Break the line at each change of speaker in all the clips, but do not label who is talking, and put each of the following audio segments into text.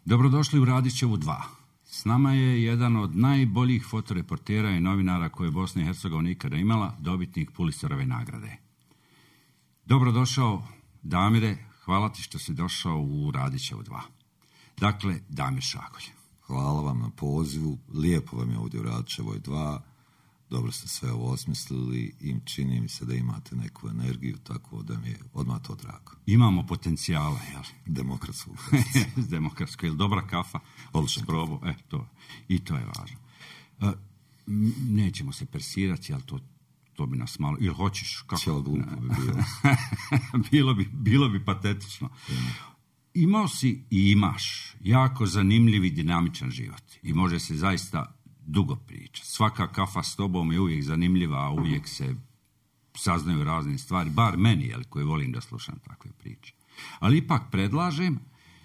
Dobrodošli u Radićevu 2. S nama je jedan od najboljih fotoreportera i novinara koje je Bosna i Hercegovina ikada imala, dobitnik Pulitzerove nagrade. Dobrodošao, Damire, hvala ti što si došao u Radićevu 2. Dakle, Damir Šagolj.
Hvala vam na pozivu, lijepo vam je ovdje u Radićevoj 2, dobro ste sve ovo osmislili i čini mi se da imate neku energiju, tako da mi je odmah to drago.
Imamo potencijala, jel?
Demokratsku.
Demokratsko, jel dobra kafa?
Odlično.
Probu, i to je važno. Nećemo se persirati, jel to bi nas malo... Ili hoćeš?
Cijelo glupo bi bilo.
bilo bi patetično. Imao si i imaš jako zanimljiv i dinamičan život i može se zaista dugo pričati. Svaka kafa s tobom je uvijek zanimljiva, a uvijek se saznaju razne stvari, bar meni, jel, koji volim da slušam takve priče. Ali ipak predlažem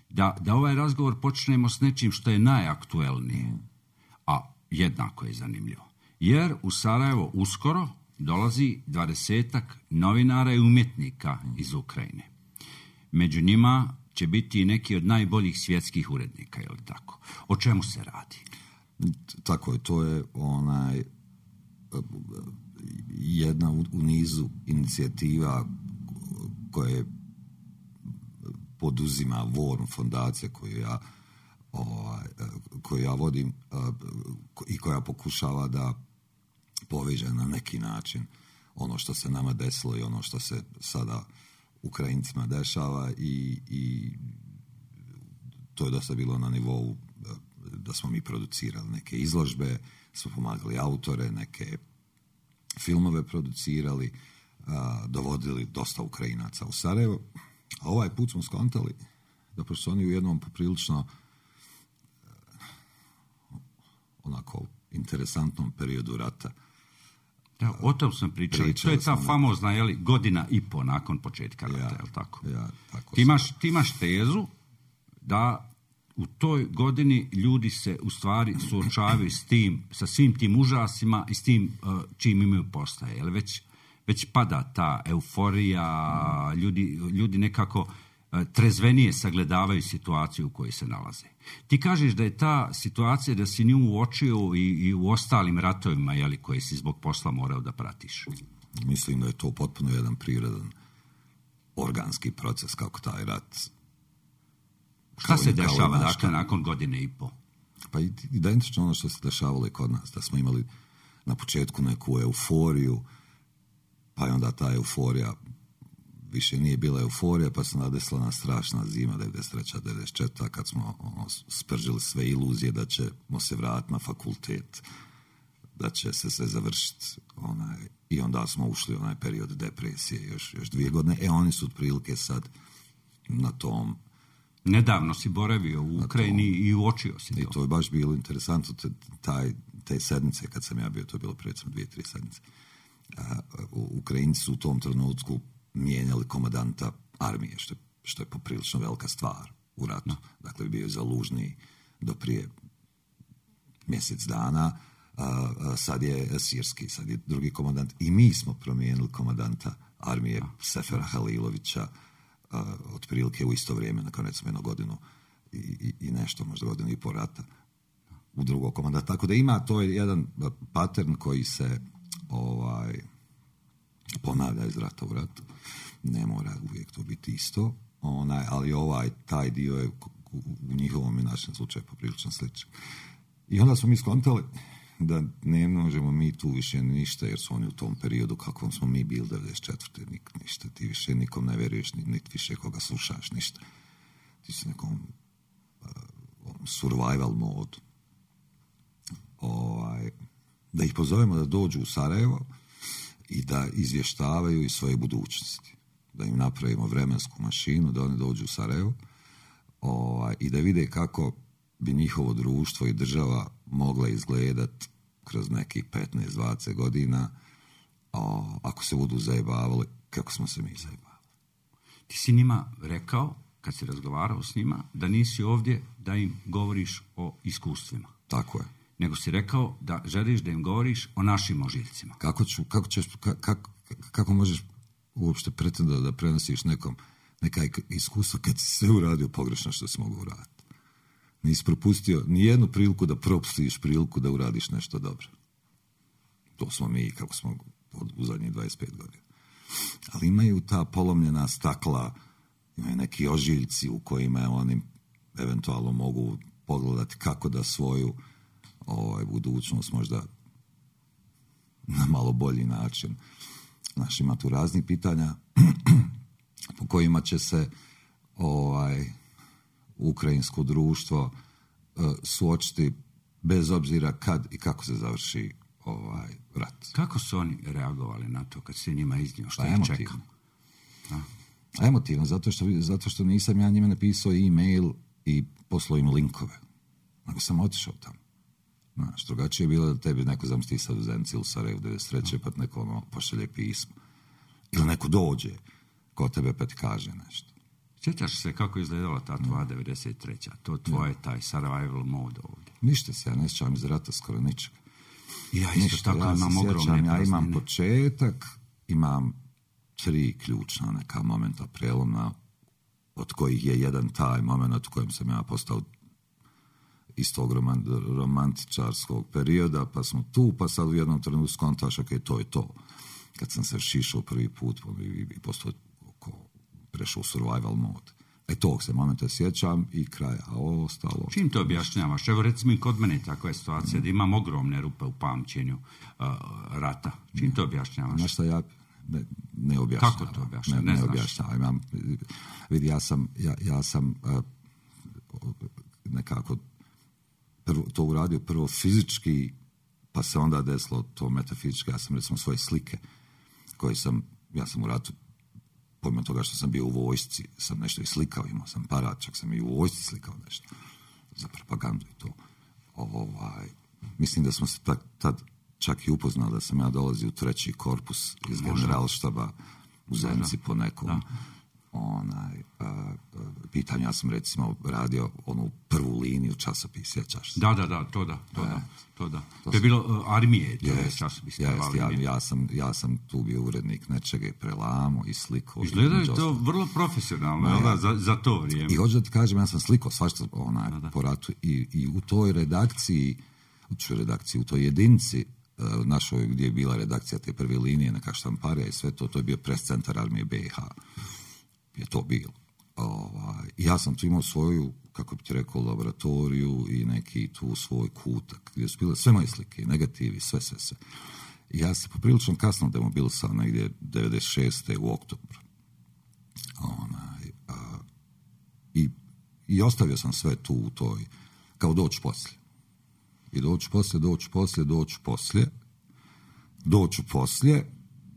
da ovaj razgovor počnemo s nečim što je najaktuelnije, a jednako je zanimljivo. Jer u Sarajevo uskoro dolazi 20-ak novinara i umjetnika iz Ukrajine. Među njima će biti i neki od najboljih svjetskih urednika, je li tako? O čemu se radi?
Tako je, to je jedna u nizu inicijativa koje poduzima Vorn fondacija koju ja vodim i koja pokušava da poveže na neki način ono što se nama desilo i ono što se sada Ukrajincima dešava i to je dosta bilo na nivou da smo mi producirali neke izložbe, smo pomagali autore, neke filmove producirali, dovodili dosta Ukrajinaca u Sarajevo. A ovaj put smo skontali da pošto oni u jednom poprilično onako interesantnom periodu rata.
Da, o tom sam pričao. To je ta famozna, jeli, godina i po nakon početka rata, je li tako?
Tako
ti imaš tezu da u toj godini ljudi se u stvari suočavaju sa svim tim užasima i s tim čim imaju postaje. Jel već pada ta euforija, ljudi nekako trezvenije sagledavaju situaciju u kojoj se nalaze. Ti kažeš da je ta situacija, da si nju uočio i u ostalim ratovima, jeli, koje si zbog posla morao da pratiš.
Mislim da je to potpuno jedan prirodan organski proces kako taj rat.
Šta se dešava dakle nakon godine i po?
Pa identično ono što se dešavalo i kod nas, da smo imali na početku neku euforiju, pa je onda ta euforija više nije bila euforija, pa se nadesla na strašna zima 93. 94. kad smo spržili sve iluzije da ćemo se vratiti na fakultet, da će se sve završiti. I onda smo ušli u onaj period depresije još 2 godine. Oni su otprilike sad na tom.
Nedavno si boravio u Ukrajini i uočio si to.
I to je baš bilo interesantno. Te sedmice kad sam ja bio, to je bilo recimo 2-3 sedmice. Ukrajinci su u tom trenutku mijenjali komandanta armije, što je poprilično velika stvar u ratu. No. Dakle, bio je Zalužni do prije mjesec dana, sad je Sirski, sad je drugi komandant. I mi smo promijenili komandanta armije Sefera Halilovića otprilike u isto vrijeme, nakon recimo 1 godinu i nešto, možda 1.5 godina rata u drugog komandanta. Tako da ima, to je jedan pattern koji se ponavlja iz rata u ratu. Ne mora uvijek to biti isto, ali taj dio je u njihovom i našem slučaju poprilično sličan. I onda smo mi skontali da ne možemo mi tu više ništa, jer su oni u tom periodu kakvom smo mi bili 94. ništa, ti više nikom ne veruješ, niti više koga slušaš, ništa. Ti si nekom survival modu. Da ih pozovemo da dođu u Sarajevo i da izvještavaju iz svoje budućnosti. Da im napravimo vremensku mašinu, da oni dođu u Sarajevo i da vide kako bi njihovo društvo i država mogla izgledati kroz nekih 15-20 godina ako se budu zajebavali kako smo se mi zajebavali.
Ti si njima rekao, kad si razgovarao s njima, da nisi ovdje da im govoriš o iskustvima.
Tako je.
Nego si rekao da želiš da im govoriš o našim ožiljcima.
Kako možeš uopšte pretendati da prenosiš nekom neka iskustva kad si sve uradio pogrešno što si mogu uraditi? Nisi propustio nijednu priliku da propustiš priliku da uradiš nešto dobro. To smo mi, kako smo u zadnjih 25 godina. Ali imaju ta polomljena stakla, imaju neki ožiljci u kojima oni eventualno mogu pogledati kako da svoju budućnost možda na malo bolji način. Znaš, ima tu raznih pitanja po kojima će se ukrajinsko društvo suočiti bez obzira kad i kako se završi rat.
Kako su oni reagovali na to kad se njima iznio što ih čeka?
Emotivno, zato što nisam ja njima napisao e-mail i poslao im linkove. Nego sam otišao tamo. Znaš, drugačije je bilo da tebi neko zamsti sad u Zenci ili Sarajevu 93. pa neko pošalje pismo. Ili neko dođe ko tebe pa ti kaže nešto.
Sjećaš se kako je izgledala ta tvoja 93. To tvoje, taj survival mode ovdje?
Ništa se, ja ne sjećam iz rata skoro ničega.
Ja isto tako imam ogromne praznine.
Ja imam početak, imam 3 ključna neka momenta prelomna, od kojih je jedan taj moment u kojem sam ja postao iz tog romantičarskog perioda, pa smo tu, pa sad u jednom trenutku skontaš, ok, to je to. Kad sam se šišao prvi put i postao prešao u survival mode. Tog se momenta sjećam i kraja, a ovo ostalo...
Čim to objašnjavaš? Evo recimo i kod mene takva je situacija da imam ogromne rupe u pamćenju rata. Čim to objašnjavaš?
Znaš šta ja ne objašnjavam.
Kako to objašnjavaš?
Ne objašnjavam. Vidi, ja sam nekako to uradio prvo fizički, pa se onda desilo to metafizički. Ja sam recimo svoje slike koje ja sam u ratu, pomimo toga što sam bio u vojsci, sam nešto i slikao, imao sam parat, čak sam i u vojsci slikao nešto za propagandu i to. Mislim da smo se tad čak i upoznali da sam ja dolazio u 3. korpus iz generalštaba u Zenci po nekom pitanju. Ja sam recimo radio onu prvu liniju časopis, sjećaš se?
Da, to da. To je bilo armije, to je časopis.
Ja sam tu bio urednik nečega i prelamo i sliko.
Izgleda je to vrlo profesionalno, za to vrijeme.
I hoću da ti kažem, ja sam slikao svašta po ratu i u toj redakciji, u toj jedinici našoj gdje je bila redakcija te prve linije, neka štamparija i sve to je bio pres centar armije BiH. Je to bilo. Ja sam tu imao svoju, kako bi ti rekao, laboratoriju i neki tu svoj kutak gdje su bile sve moje slike, negativi, sve. I ja se poprilično kasno demobilisao negdje 96. u oktobru. I ostavio sam sve tu u toj, kao doći poslije. I doću poslije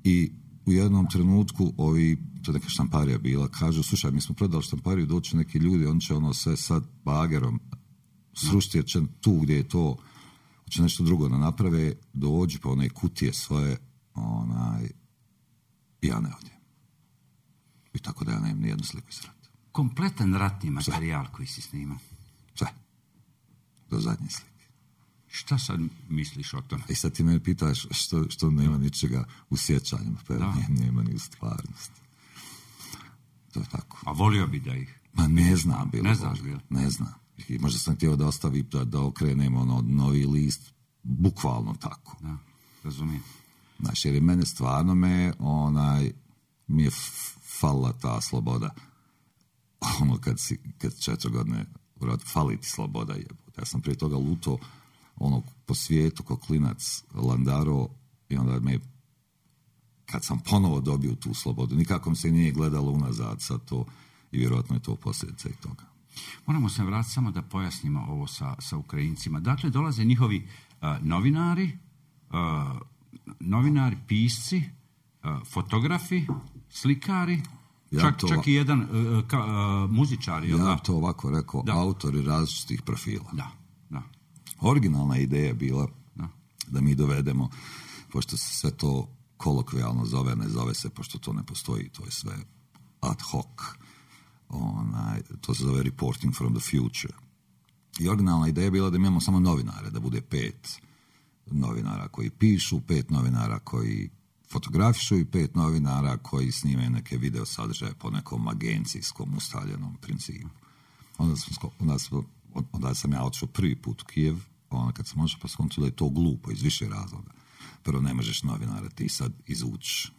i u jednom trenutku to neka štamparija bila, kažu, slušaj, mi smo prodali štampariju, doći neki ljudi, on će sve sad bagerom srušiti, jer će tu gdje je to, će nešto drugo da naprave, dođi pa one kutije svoje, i ja ne odjem. I tako da ja nemam nijednu sliku iz rata.
Kompletan ratni materijal koji si snimao?
Sve. Do zadnje slike.
Šta sad misliš o tome?
I sad ti me pitaš što nema ničega u sjećanju, pa nema ni u stvarnosti. To je tako.
A volio bi da ih...
Ma ne znam bilo.
Ne znaš bilo?
Ne znam. I možda sam htio da ostavi, da okrenemo novi list, bukvalno tako.
Da, razumijem.
Znaš, jer je mene stvarno mi je falila ta sloboda. Kad 4 godine fali ti sloboda jebote. Ja sam prije toga luto po svijetu ko klinac landaro i onda kad sam ponovo dobio tu slobodu, nikako mi se nije gledalo unazad sad to i vjerojatno je to posljedica i toga.
Moramo se vratiti samo da pojasnimo ovo sa Ukrajincima. Dakle, dolaze njihovi novinari, pisci, fotografi, slikari, čak i jedan muzičar.
Ja to ovako rekao, autori različitih profila.
Da.
Originalna ideja je bila da mi dovedemo, pošto se sve to kolokvijalno zove, ne zove se, pošto to ne postoji, to je sve ad hoc. To se zove reporting from the future. I originalna ideja je bila da imamo samo novinare, da bude 5 novinara koji pišu, 5 novinara koji fotografišu i 5 novinara koji snimaju neke video sadržaje po nekom agencijskom ustaljenom principu. Onda smo onda sam ja otišao prvi put u Kijev, kad sam otišao pa skončio da je to glupo iz više razloga. Prvo, ne možeš novinara ti sad izvući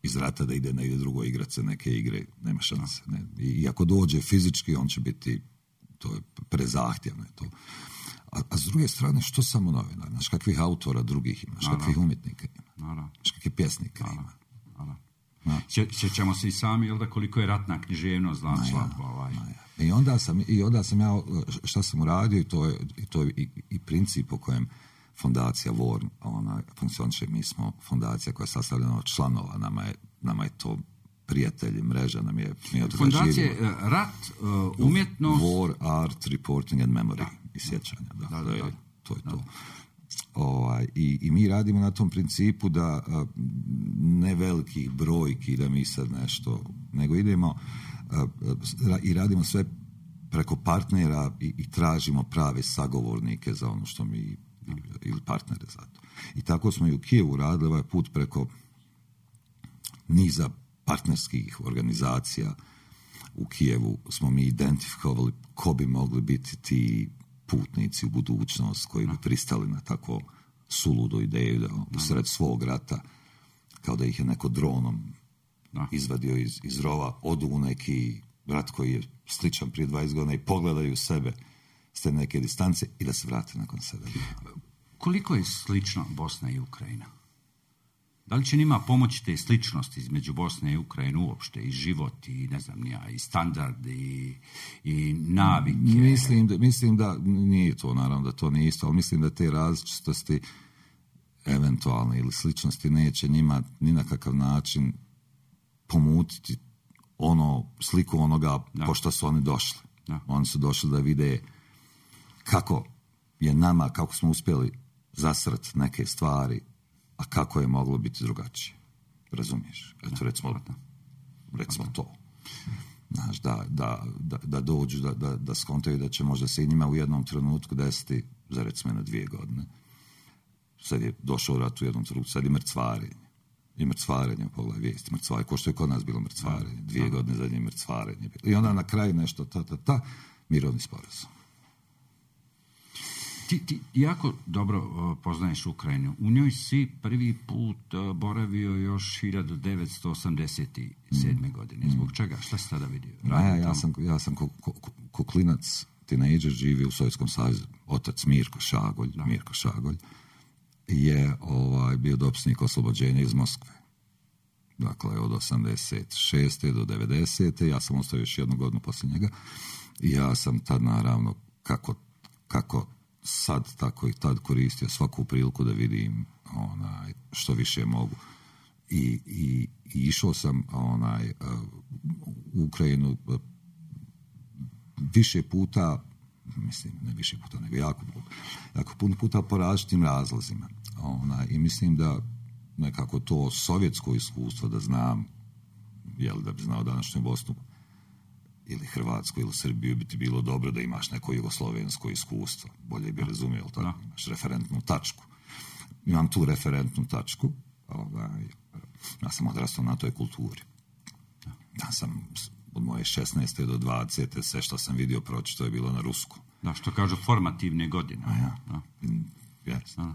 iz rata da ide negdje drugo igrat se neke igre, nema šanse. Ne? I ako dođe fizički, on će biti, to je prezahtjevno. To. A s druge strane, što samo novinar? Znaš kakvih autora drugih ima, znaš kakvih umjetnika ima, znaš kakvih pjesnika ima.
Sjećamo se i sami, jel da, koliko je ratna književnost slabo.
I onda sam ja, šta sam uradio, i to je i princip po kojem fondacija VOR funkcioniše. Mi smo fondacija koja je sastavljena od članova, nama je to prijatelji, mreža nam je...
Fondacije rat, umjetnost...
War, art, reporting and memory i sjećanja. To je to. I mi radimo na tom principu da ne velikih brojki da mi sad nešto, nego idemo i radimo sve preko partnera i tražimo prave sagovornike za ono što mi, ili partnere za to. I tako smo i u Kijevu radili ovaj put preko niza partnerskih organizacija. U Kijevu smo mi identifikovali ko bi mogli biti ti putnici u budućnost koji bi pristali na tako suludu ideju da usred svog rata, kao da ih je neko dronom izvadio iz rova, odu u neki rat koji je sličan prije 20 godina i pogledaju sebe s te neke distance i da se vrate nakon 7 godina.
Koliko je slično Bosna i Ukrajina? Da li će njima pomoći te sličnosti između Bosne i Ukrajine uopšte, i život, i ne znam ja, i standard, i navike?
Mislim da nije to, naravno da to nije isto, ali mislim da te različitosti eventualne ili sličnosti neće njima ni na kakav način pomutiti sliku onoga pošto su oni došli. Oni su došli da vide kako je nama, kako smo uspjeli zasrati neke stvari, a kako je moglo biti drugačije. Razumiješ? Eto, recimo to. Znaš, da dođu, da skontaju da će možda se i njima u jednom trenutku desiti za recimo na 2 godine. Sad je došao rat u jednom trenutku, sad je mrcvarenje. I mrcvarenje, pogledaj vijesti, mrcvarenje, ko što je kod nas bilo mrcvarenje, 2 godine zadnje mrcvarenje. I onda na kraju nešto, mirovni sporazum.
Ti jako dobro poznaješ Ukrajinu. U njoj si prvi put boravio još 1987. godine. Zbog čega? Šta si tada vidio?
Ja sam ko klinac, tinejdžer, živio u Sovjetskom savezu. Otac Mirko Šagolj je bio dopisnik oslobođenja iz Moskve. Dakle, od 86. do 90. Ja sam ostao još 1 godinu poslije njega. I ja sam tad, naravno, kako sad, tako i tad koristio svaku priliku da vidim što više mogu. I išao sam u Ukrajinu više puta, mislim, ne više puta, nego jako puno puta po različitim razlozima. I mislim da nekako to sovjetsko iskustvo da znam, da bi znao današnju Bosnu ili Hrvatsku ili Srbiju, bi ti bilo dobro da imaš neko jugoslovensko iskustvo. Bolje bi razumio, tako? Imaš referentnu tačku. Imam tu referentnu tačku. Ja sam odrastao na toj kulturi. Ja sam od moje 16. do 20. sve što sam vidio pročito je bilo na rusku.
Da, što kažu formativne godine.
Yes.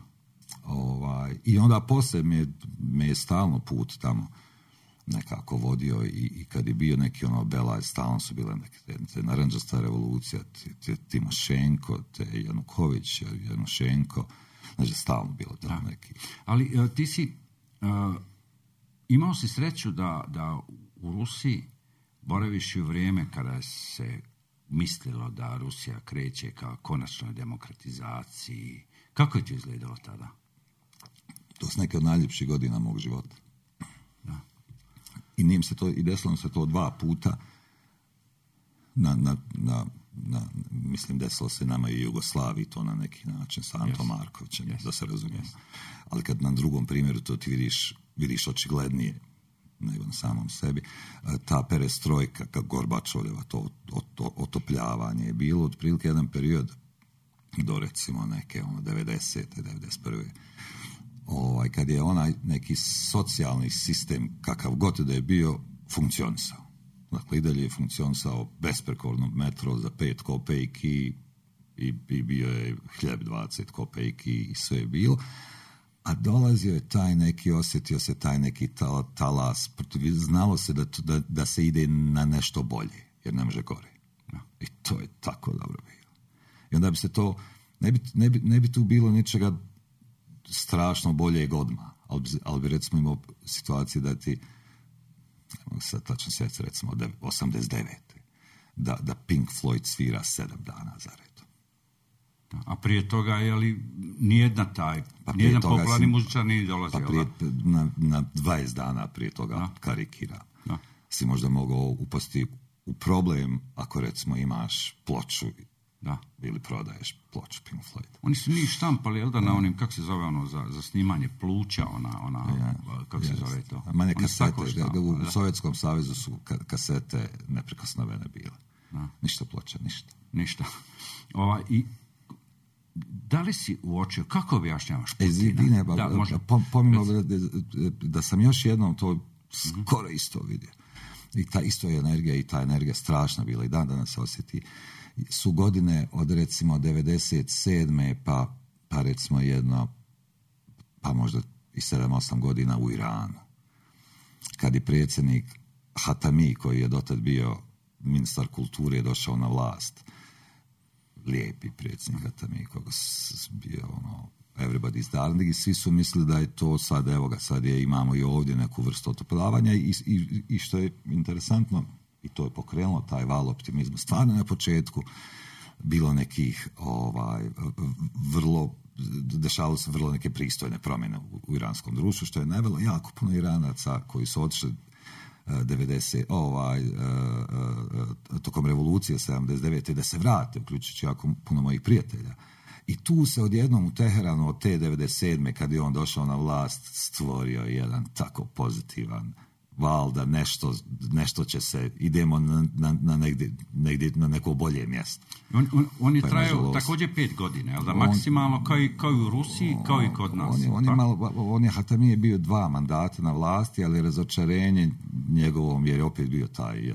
I onda poslije me je stalno put tamo nekako vodio i kad je bio neki Belaj, stalno su bile neke naranđasta revolucija, Timošenko, Januković, Janušenko, znači stalno bilo tamo neki.
Ali ti si imao si sreću da u Rusiji boraviš u vrijeme kada se mislilo da Rusija kreće ka konačnoj demokratizaciji. Kako je to izgledalo tada?
To su neke od najljepših godina mog života. I desilo se to 2 puta mislim desilo se nama i Jugoslaviji to na neki način sa Antom Markovićem, da se razumijemo. Ali kad na drugom primjeru to ti vidiš očiglednije nego na samom sebi, ta perestrojka, Gorbačovljeva, to otopljavanje je bilo otprilike jedan period do recimo neke 90. 91. Kad je onaj neki socijalni sistem, kakav god da je bio, funkcionisao. Dakle, i dalje je funkcionisao besprekorno metro za 5 kopejki, i bio je hljeb 20 kopejki i sve je bilo. A dolazio je taj neki, osjetio se taj neki talas, znalo se da se ide na nešto bolje, jer ne može gore. I to je tako dobro bilo. I onda bi se to, ne bi tu bilo ničega strašno boljeg odmah, ali bi recimo imao situacije da ti, ne mogu sad tačno sjetiti, recimo 89. Da Pink Floyd svira 7 dana za redom.
A prije toga, je li nijedan popularni muzičar nije dolazio?
Pa prije, na 20 dana prije toga, karikiram, si možda mogao upasti u problem ako recimo imaš ploču ili prodaješ ploču Pink Floyd.
Oni su njih štampali, jel da, na onim, kako se zove ono, za snimanje pluća, kako se zove to?
Manje kasete, u Sovjetskom savezu su kasete neprikosnovene bile. Ništa ploča, ništa. I da li si uočio, kako objašnjavaš Putina? Pomimo da sam još jednom to skoro isto vidio. I ta isto je energija i ta energija strašna bila i dan danas se osjeti. Su godine od recimo 97. pa recimo jedno, pa možda i 7-8 godina u Iranu. Kad je predsjednik Hatami, koji je dotad bio ministar kulture, je došao na vlast. Lijepi predsjednik Hatami, koga bio everybody's darling, i svi su mislili da je to sad, evo ga, sad imamo i ovdje neku vrstu otopljavanja i što je interesantno, i to je pokrenulo taj val optimizma. Stvarno na početku bilo nekih dešavalo se vrlo neke pristojne promjene u iranskom društvu, što je navelo jako puno Iranaca koji su otišli tokom revolucije 79. da se vrate, uključujući jako puno mojih prijatelja. I tu se odjednom u Teheranu od te 97. kad je on došao na vlast stvorio jedan tako pozitivan val da nešto će se, idemo na negdje na neko bolje mjesto.
On je trajao također 5 godina, jel da, maksimalno kao i u Rusiji, kao i kod nas.
Hatami je bio 2 mandata na vlasti, ali razočarenje njegovom, jer je opet bio taj,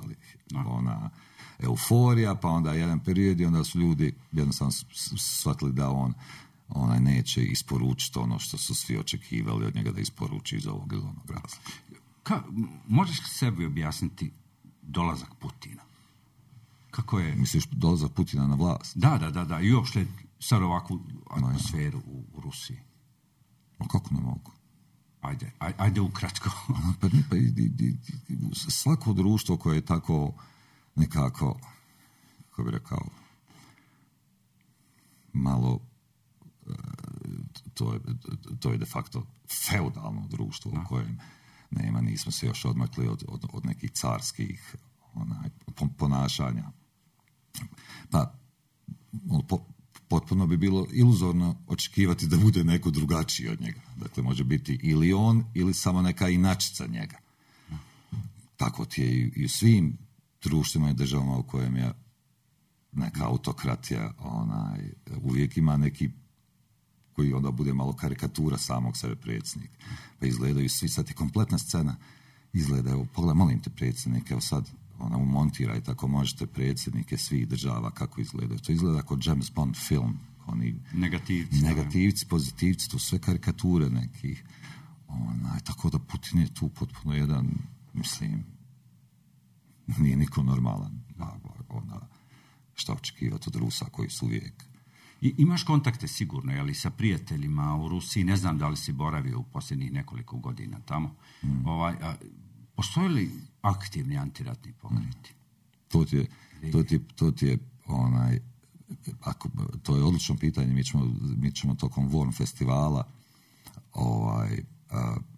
ona euforija, pa onda jedan period i onda su ljudi jednostavno shvatili da on neće isporučiti ono što su svi očekivali od njega da isporuči iz ovog ili onog razloga.
Možeš li sebi objasniti dolazak Putina? Kako je?
Misliš dolazak Putina na vlast?
Da. I uopšte sad ovakvu atmosferu u Rusiji.
A kako ne mogu?
Ajde ukratko.
Svako društvo koje je tako nekako, kako bi rekao, malo, to je de facto feudalno društvo u kojem nismo se još odmakli od nekih carskih ponašanja. Pa potpuno bi bilo iluzorno očekivati da bude neko drugačiji od njega. Dakle, može biti ili on ili samo neka inačica njega. Tako ti je i u svim društvima i državama u kojem je neka autokratija, uvijek ima neki koji onda bude malo karikatura samog sebe predsjednik. Pa izgledaju svi, sad je kompletna scena, izgleda, evo, pogledaj, molim te predsjednike, evo sad, umontiraj tako možete predsjednike svih država, kako izgledaju. To izgleda kao James Bond film, oni negativci, pozitivci, to sve karikature nekih. Tako da Putin je tu potpuno jedan, mislim, nije niko normalan. Šta očekivati od Rusa koji su uvijek.
I imaš kontakte sigurno, jeli, sa prijateljima u Rusiji, ne znam da li si boravio u posljednjih nekoliko godina tamo. Postoje li aktivni antiratni pokreti?
To je odlično pitanje. Mi ćemo tokom Vorn festivala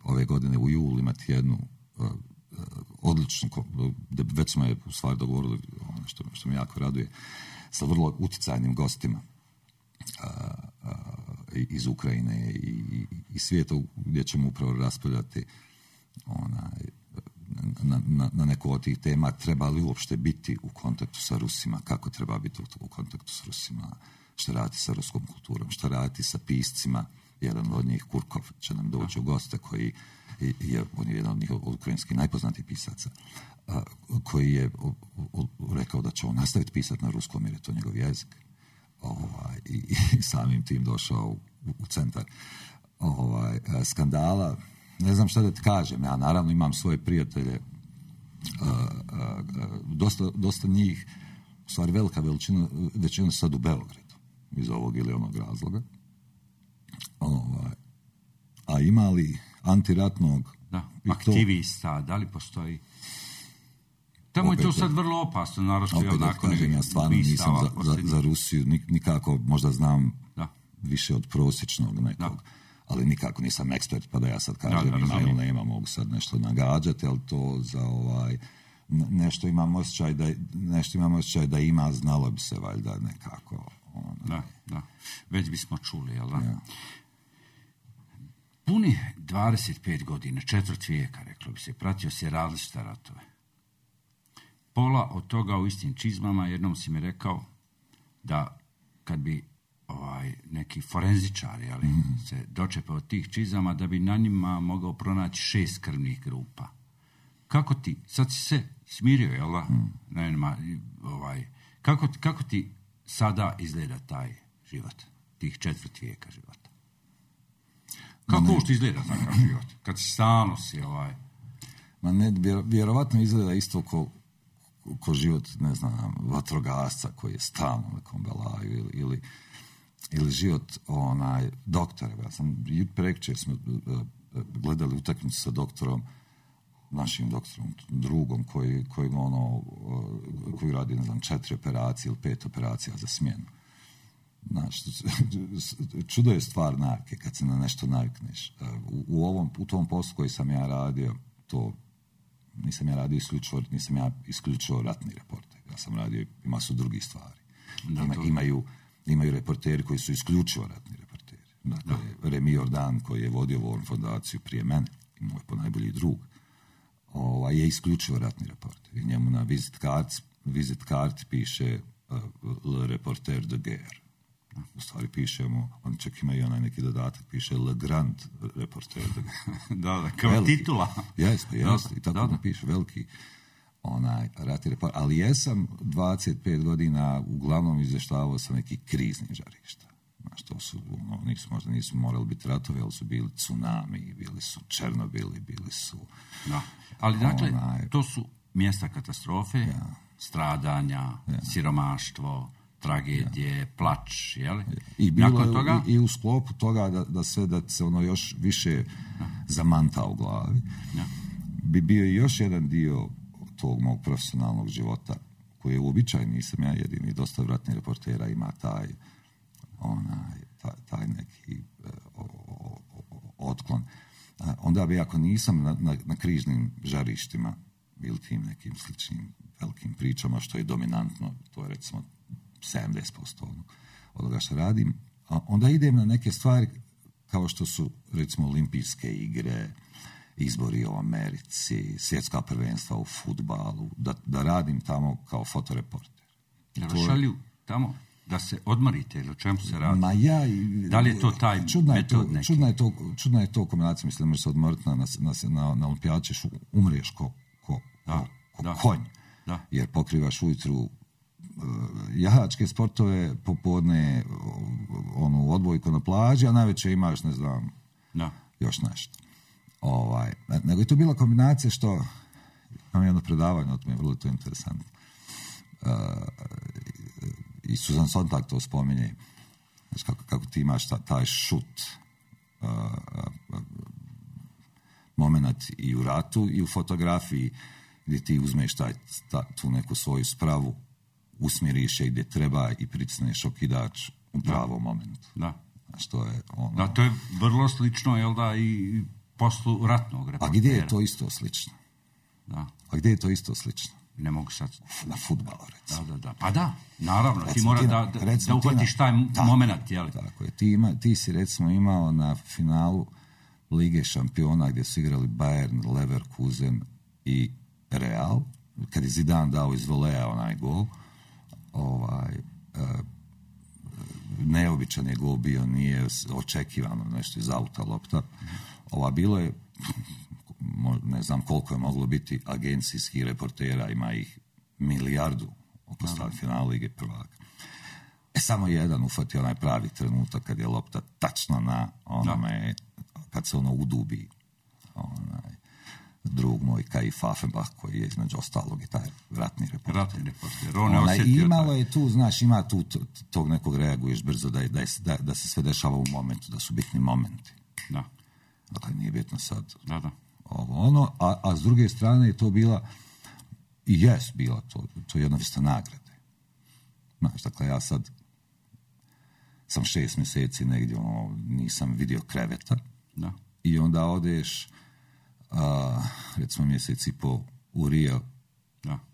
ove godine u julu imati jednu odličnu, već smo je u stvari dogovorili, što me jako raduje, sa vrlo utjecajnim gostima iz Ukrajine i svijeta, gdje ćemo upravo raspravljati na neku od tih tema. Treba li uopšte biti u kontaktu sa Rusima, kako treba biti u kontaktu sa Rusima, što raditi sa ruskom kulturom, što raditi sa piscima. Jedan od njih, Kurkov, će nam doći u goste, on je jedan od njih od ukrajinskih najpoznatijih pisaca, koji je rekao da će on nastaviti pisati na ruskom jer je to njegov jezik. i samim tim došao u centar skandala. Ne znam šta da ti kažem, ja naravno imam svoje prijatelje, dosta njih, u stvari velika većina sad u Beogradu, iz ovog ili onog razloga. A ima li antiratnog...
Da, aktivista, da li postoji? Tamo je to sad vrlo opasno, naravno.
Opet da kažem, ja stvarno nisam za Rusiju, nikako, možda znam više od prosječnog nekog, ali nikako nisam ekspert, pa da ja sad kažem ima ili nema, mogu sad nešto nagađati, ali to za nešto imam osjećaj da ima, znalo bi se valjda nekako.
Da, već bismo čuli, jel da? Ja. Puni 25 godina, četvrt vijeka, reklo bi se, pratio se različite ratove. Pola od toga u istim čizmama. Jednom si mi rekao da kad bi neki forenzičari se dočepao od tih čizama, da bi na njima mogao pronaći 6 krvnih grupa. Kako ti, sad si se smirio, jel da? Kako ti sada izgleda taj život, tih četvrt vijeka života? Kako uopšte izgleda takav život? Kad si stalno si
Ma ne, vjerovatno izgleda isto ko život, ne znam, vatrogasca koji je stalno na nekom belaju ili život doktora. Ja sam prekjučer smo gledali utakmicu sa doktorom, našim doktorom, drugom koji radi, ne znam, 4 operacije ili 5 operacija za smjenu. Znači, čudo je stvar navike kad se na nešto navikneš. U tom poslu koji sam ja radio, to nisam ja radio isključivo ratni reporter. Ja sam radio i masu drugih stvari. Imaju reporteri koji su isključivo ratni reporteri. Dakle, Remi Jordan, koji je vodio ovu fondaciju prije mene, i moj ponajbolji drug, je isključivo ratni reporter. I njemu na vizit karti piše Le Reporter de Guerre. U stvari pišemo, on čak ima i onaj neki dodatak, piše Le Grand Reporter de Guerre.
Da, kao veliki titula.
Jeste, i tako da piše, veliki ratni reporter. Ali jesam 25 godina uglavnom izvještavao sa nekih kriznih žarišta. Znaš, to su, možda nisu morali biti ratovi, ali su bili tsunami, bili su Černobili, bili su...
Da. Ali dakle, to su mjesta katastrofe, stradanja, siromaštvo, tragedije, plač, jel?
I bilo toga... i u sklopu toga da se ono još više zamanta u glavi. Bi bio i još jedan dio tog mog profesionalnog života, koji je uobičajen, nisam ja jedini, dosta ratnih reportera ima taj neki otklon. Onda bi, ako nisam na križnim žarištima ili tim nekim sličnim velikim pričama, što je dominantno, to je recimo 70% onoga što radim, onda idem na neke stvari kao što su recimo olimpijske igre, izbori u Americi, svjetska prvenstva u fudbalu, da radim tamo kao fotoreporter.
Da vas šalju tamo da se odmorite, ili o čemu se radi? Da li je to taj metod neki?
Čudna je to kombinacija, mislim da možeš se odmoriti na olimpijadu, ćeš umriješ ko konj, jer pokrivaš ujutru jahačke sportove, popodne odbojku na plaži, a najveće imaš, ne znam, još nešto. Nego je to bila kombinacija što imam jedno predavanje, o tome je vrlo to interesantno. I Susan Sontag to spominje, znači kako ti imaš taj šut moment i u ratu i u fotografiji, gdje ti uzmeš tu neku svoju spravu, usmjeriš je gdje treba i pritisneš okidač u pravom momentu. Znači, to je
to je vrlo slično, jel da, i poslu ratnog reportera.
A gdje je to isto slično?
Ne mogu sad...
Na fudbalu, recimo.
Da. Pa da, naravno, ti mora da uhvatiš taj moment, jel?
Tako je. Ti si recimo imao na finalu Lige šampiona gdje su igrali Bayern, Leverkusen i Real, kad je Zidane dao iz voleja onaj gol, neobičan je gol bio, nije očekivano nešto iz auta lopta. Bilo je, ne znam koliko je moglo biti agencijskih reportera, ima ih milijardu oko finala Lige prvaka. Samo jedan ufati onaj pravi trenutak kad je lopta tačno na onome, kad se ono udubi. Drug moj Kaif Affenbach, koji je između ostalog i taj ratni reporter. Imalo je tu, znaš, ima tu tog nekog reaguješ brzo da se sve dešava u momentu, da su bitni momenti.
Da.
Dakle, nije bitno sad
ovo ono,
a s druge strane je to bila bila to jedna vrsta nagrade. Znaš, dakle, ja sad sam 6 mjeseci negdje, nisam vidio kreveta.
Da.
I onda odeš recimo mjesec i po u Rio,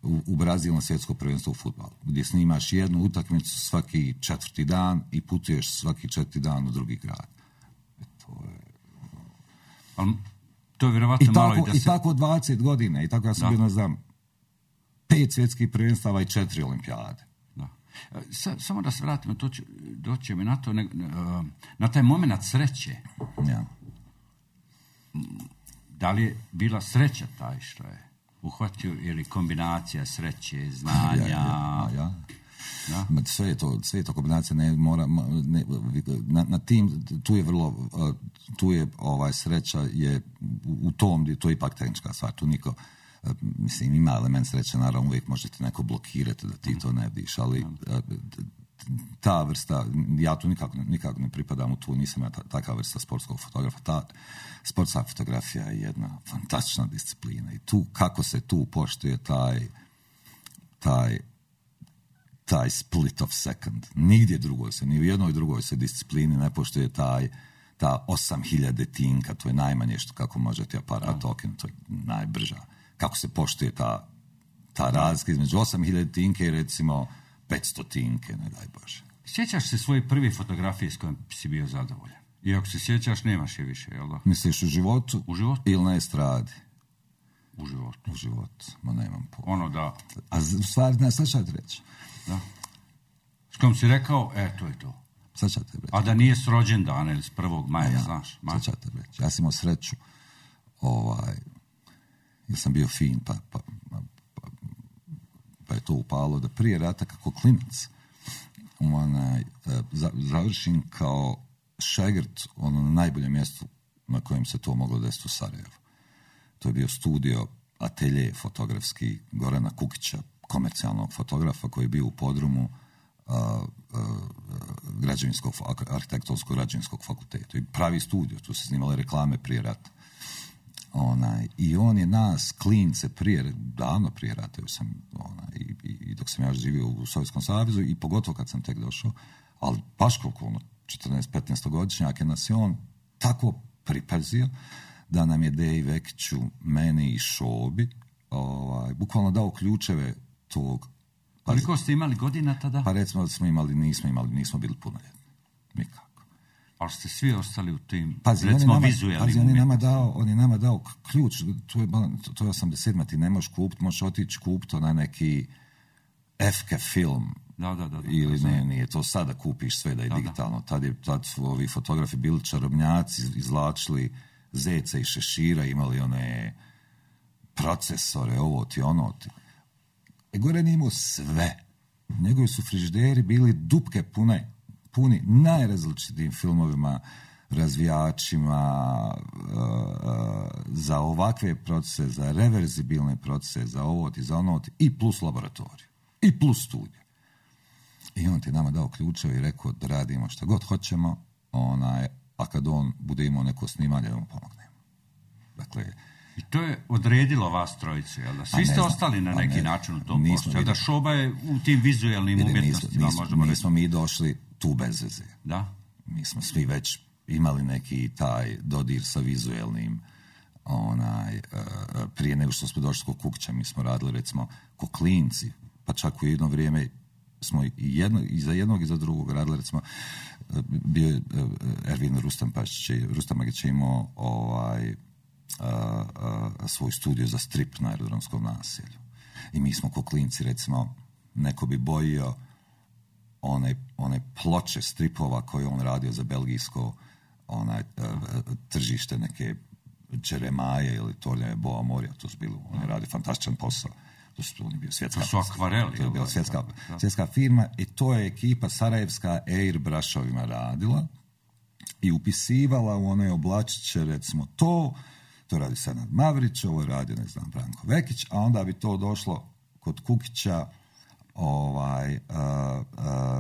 u Brazil na svjetsko prvenstvo u fudbalu, gdje snimaš jednu utakmicu svaki 4. dan i putuješ svaki 4. dan u drugi grad.
To je vjerovatno malo i da se...
I tako 20 godina, i tako ja sam bio, ne znam, 5 svjetskih prvenstava i 4 olimpijade.
Da. Samo da se vratimo, doći mi na to, na taj moment sreće.
Ja.
Da li je bila sreća taj što je uhvatio ili kombinacija sreće, znanja?
Ja. Sve je to kombinacija, na tim, tu je sreća je u tom, to je ipak tehnička stvar, tu niko, mislim, ima element sreće, naravno uvijek možete neko blokirati da ti to ne vidiš, ali ta vrsta, ja tu nikako ne pripadam u tu, nisam ja takva vrsta sportskog fotografa. Ta sportska fotografija je jedna fantastična disciplina i tu, kako se tu poštuje taj split of second. Nigdje drugoj se, ni u jednoj drugoj se disciplini ne poštuje ta 8000 tinka, to je najmanje što kako možete aparat okinuti, to je najbrža. Kako se poštuje ta razlika između 8000 tinke i recimo 500 tinke, ne daj Bože.
Sjećaš se svoje prve fotografije s kojom si bio zadovoljan? I ako se sjećaš, nemaš je više, jel da?
Misliš u životu?
U životu?
Ili na estradi?
U životu.
U životu, ma nemam pojma.
Ono da...
A u stvari, ne, sad ću ti reći.
Da. S kojom si rekao, to je to.
Sad ću ti reći.
A da nije s rođendana ili s 1. maja, znaš?
Sad ću ti reći. Ja sam imao sreću, jer sam bio fin, pa je to upalo da prije rata kako klinac završim kao šegrt na najboljem mjestu na kojem se to moglo desiti u Sarajevu. To je bio studio, atelje fotografski Gorana Kukića, komercijalnog fotografa koji je bio u podrumu arhitektonskog građevinskog fakulteta. I pravi studio, tu se snimale reklame prije rata. I on je nas, klince, davno prije rata, i dok sam ja živio u Sovjetskom savezu i pogotovo kad sam tek došao, ali baš koliko 14-15 godišnjake nas je on tako pripazio da nam je Deji Vekiću, meni i Šobi bukvalno dao ključeve tog.
Koliko ste imali godina tada?
Pa recimo da nismo bili punoljetni. Nikako.
Ali ste svi ostali u tim,
recimo,
vizualnim
on je nama dao ključ, to je 87. Ti ne možeš kupiti, možeš otići kupiti na neki FK film.
Da.
Ili nije to sada kupiš sve da je digitalno. Tad su ovi fotografi bili čarobnjaci, izvlačili zece i šešira, imali one procesore, ovo ti, ono ti. Goran je imao sve. Njegovi su frižideri bili dupke puni najrazličitijim filmovima, razvijačima, za ovakve procese, za reverzibilne procese, za ovo ti, za ono ti, i plus laboratoriju, i plus studiju. I on ti nama dao ključeve i rekao da radimo šta god hoćemo, a kad on bude imao neko snimanje, da mu pomognemo. Dakle,
i to je odredilo vas trojicu, jel da? Svi ste ostali na neki način u tom poslu, jel da? Šoba je u tim vizualnim umjetnostima, možemo reći.
Nismo mi došli tu bez veze.
Da?
Mi smo svi već imali neki taj dodir sa vizualnim, prije nego što smo došli kod Kukića, mi smo radili recimo ko klinci, pa čak u jedno vrijeme smo i za jednog i za drugog radili, recimo bio je Ervin Rustamagić je imao svoj studio za strip na Aerodromskom naselju. I mi smo ko klinci, recimo, neko bi bojio one ploče stripova koje on radio za belgijsko tržište, neke Džeremaje ili Torljave Boa Morija, to su bili, on je radio fantastičan posao. To je bio svjetska,
to su akvareli.
To je bila svjetska firma i to je ekipa sarajevska airbrušovima radila i upisivala u one oblačiće, recimo to radi Senad Mavrić, ovo je radio, ne znam, Branko Vekić, a onda bi to došlo kod Kukića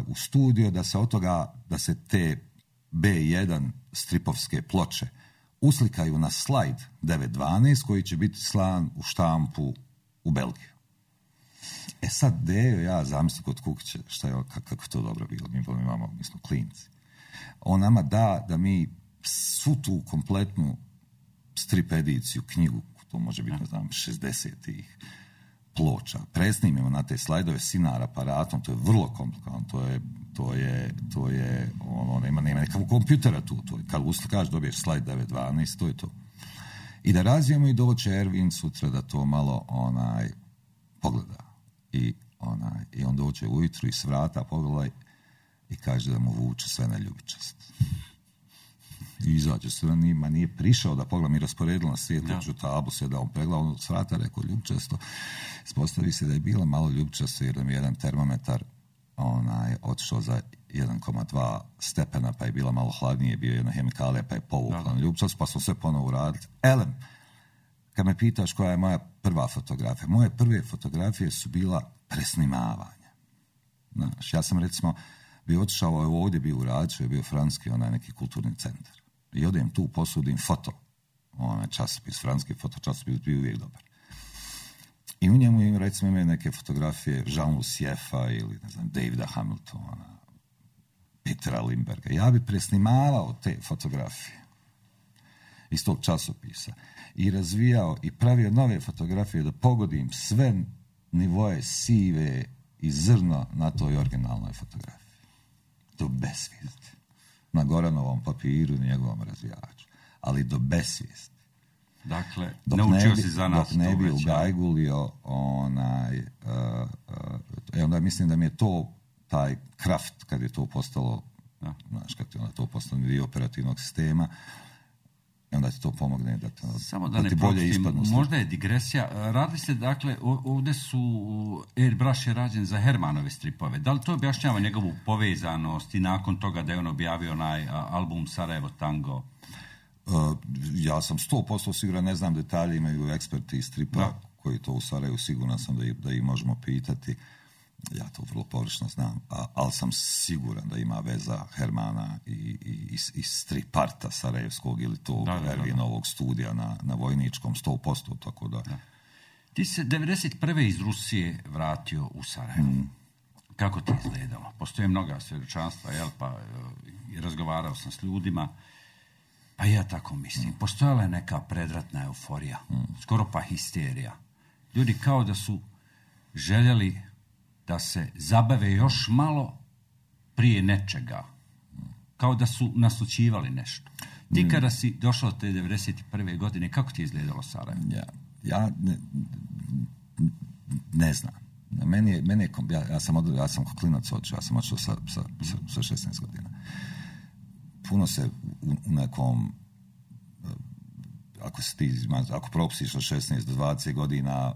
u studio da se od toga, da se te B1 stripovske ploče uslikaju na slajd 912 koji će biti slan u štampu u Belgiju. Sad Dejo, ja zamislim kod Kukića šta je, kako to dobro bilo, mi smo klinci. On nama da mi svu tu kompletnu strip ediciju, knjigu, to može biti, ne znam, 60-ih ploča, presnimimo na te slajdove sinar aparatom, to je vrlo komplikovano, to je nema nekakvog kompjutera tu, to je, kad uslikaš dobiješ slajd 912, to je to. I da razvijemo i doće Ervin sutra da to malo pogleda. I on dođe ujutru i s vrata pogleda i kaže da mu vuče sve na ljubičast. I izađe se, nije prišao da pogleda, mi rasporedili na svijetljuću tablu, sve da on pregleda, on s vrata rekao ljubičasto. Ispostavi se da je bila malo ljubičasto jer da mi je jedan termometar otišao za 1,2 stepena, pa je bila malo hladnije, bio jedna hemikalija, pa je povukla na ljubičasto, pa smo sve ponovo uradili. Elem, kad me pitaš koja je moja prva fotografija, moje prve fotografije su bila presnimavanja. Znaš, ja sam recimo bio otišao ovdje, bio u Raču, je bio francuski neki kulturni centar. I odem tu, posudim foto, časopis, francuski fotočasopis, bio uvijek dobar. I u njemu recimo imaju neke fotografije Jean-Louis Siefa ili, ne znam, Davida Hamiltona, Petera Limberga. Ja bi presnimavao te fotografije iz tog časopisa i razvijao i pravio nove fotografije da pogodim sve nivoje sive i zrno na toj originalnoj fotografiji. Do besvijesti. Na Goranovom papiru i njegovom razvijaču. Ali do besvijesti.
Dakle, naučio si za nas.
Dok ne bi ugajgulio onda mislim da mi je to taj kraft, kad je to postalo znaš, kad je to postalo dio operativnog sistema, i onda ti to pomogne da ti bolje ispadnu.
Možda je digresija. Radili ste, dakle, ovdje su Airbrush je rađen za Hermanove stripove. Da li to objašnjava njegovu povezanost i nakon toga da je on objavio onaj album Sarajevo Tango?
Ja sam 100% siguran, ne znam detalje, imaju eksperti iz stripa koji to u Sarajevu, siguran sam da ih možemo pitati. Ja to vrlo površno znam, ali sam siguran da ima veza Hermana i striparta sarajevskog ili tog Ervinovog studija na Vojničkom 100%, tako da.
Ti se 1991. iz Rusije vratio u Sarajevo. Kako ti izgledalo? Postoje mnoga svjedočanstva, pa razgovarao sam s ljudima, pa ja tako mislim. Postojala je neka predratna euforija, skoro pa histerija. Ljudi kao da su željeli da se zabave još malo prije nečega. Kao da su naslućivali nešto. Ti kada si došao te 1991. godine, kako ti je izgledalo Sarajevo?
Ja ne znam. Ja sam klinac očeo, ja sam očeo sa 16 godina. Puno se u nekom, ako propustiš od 16 do 20 godina,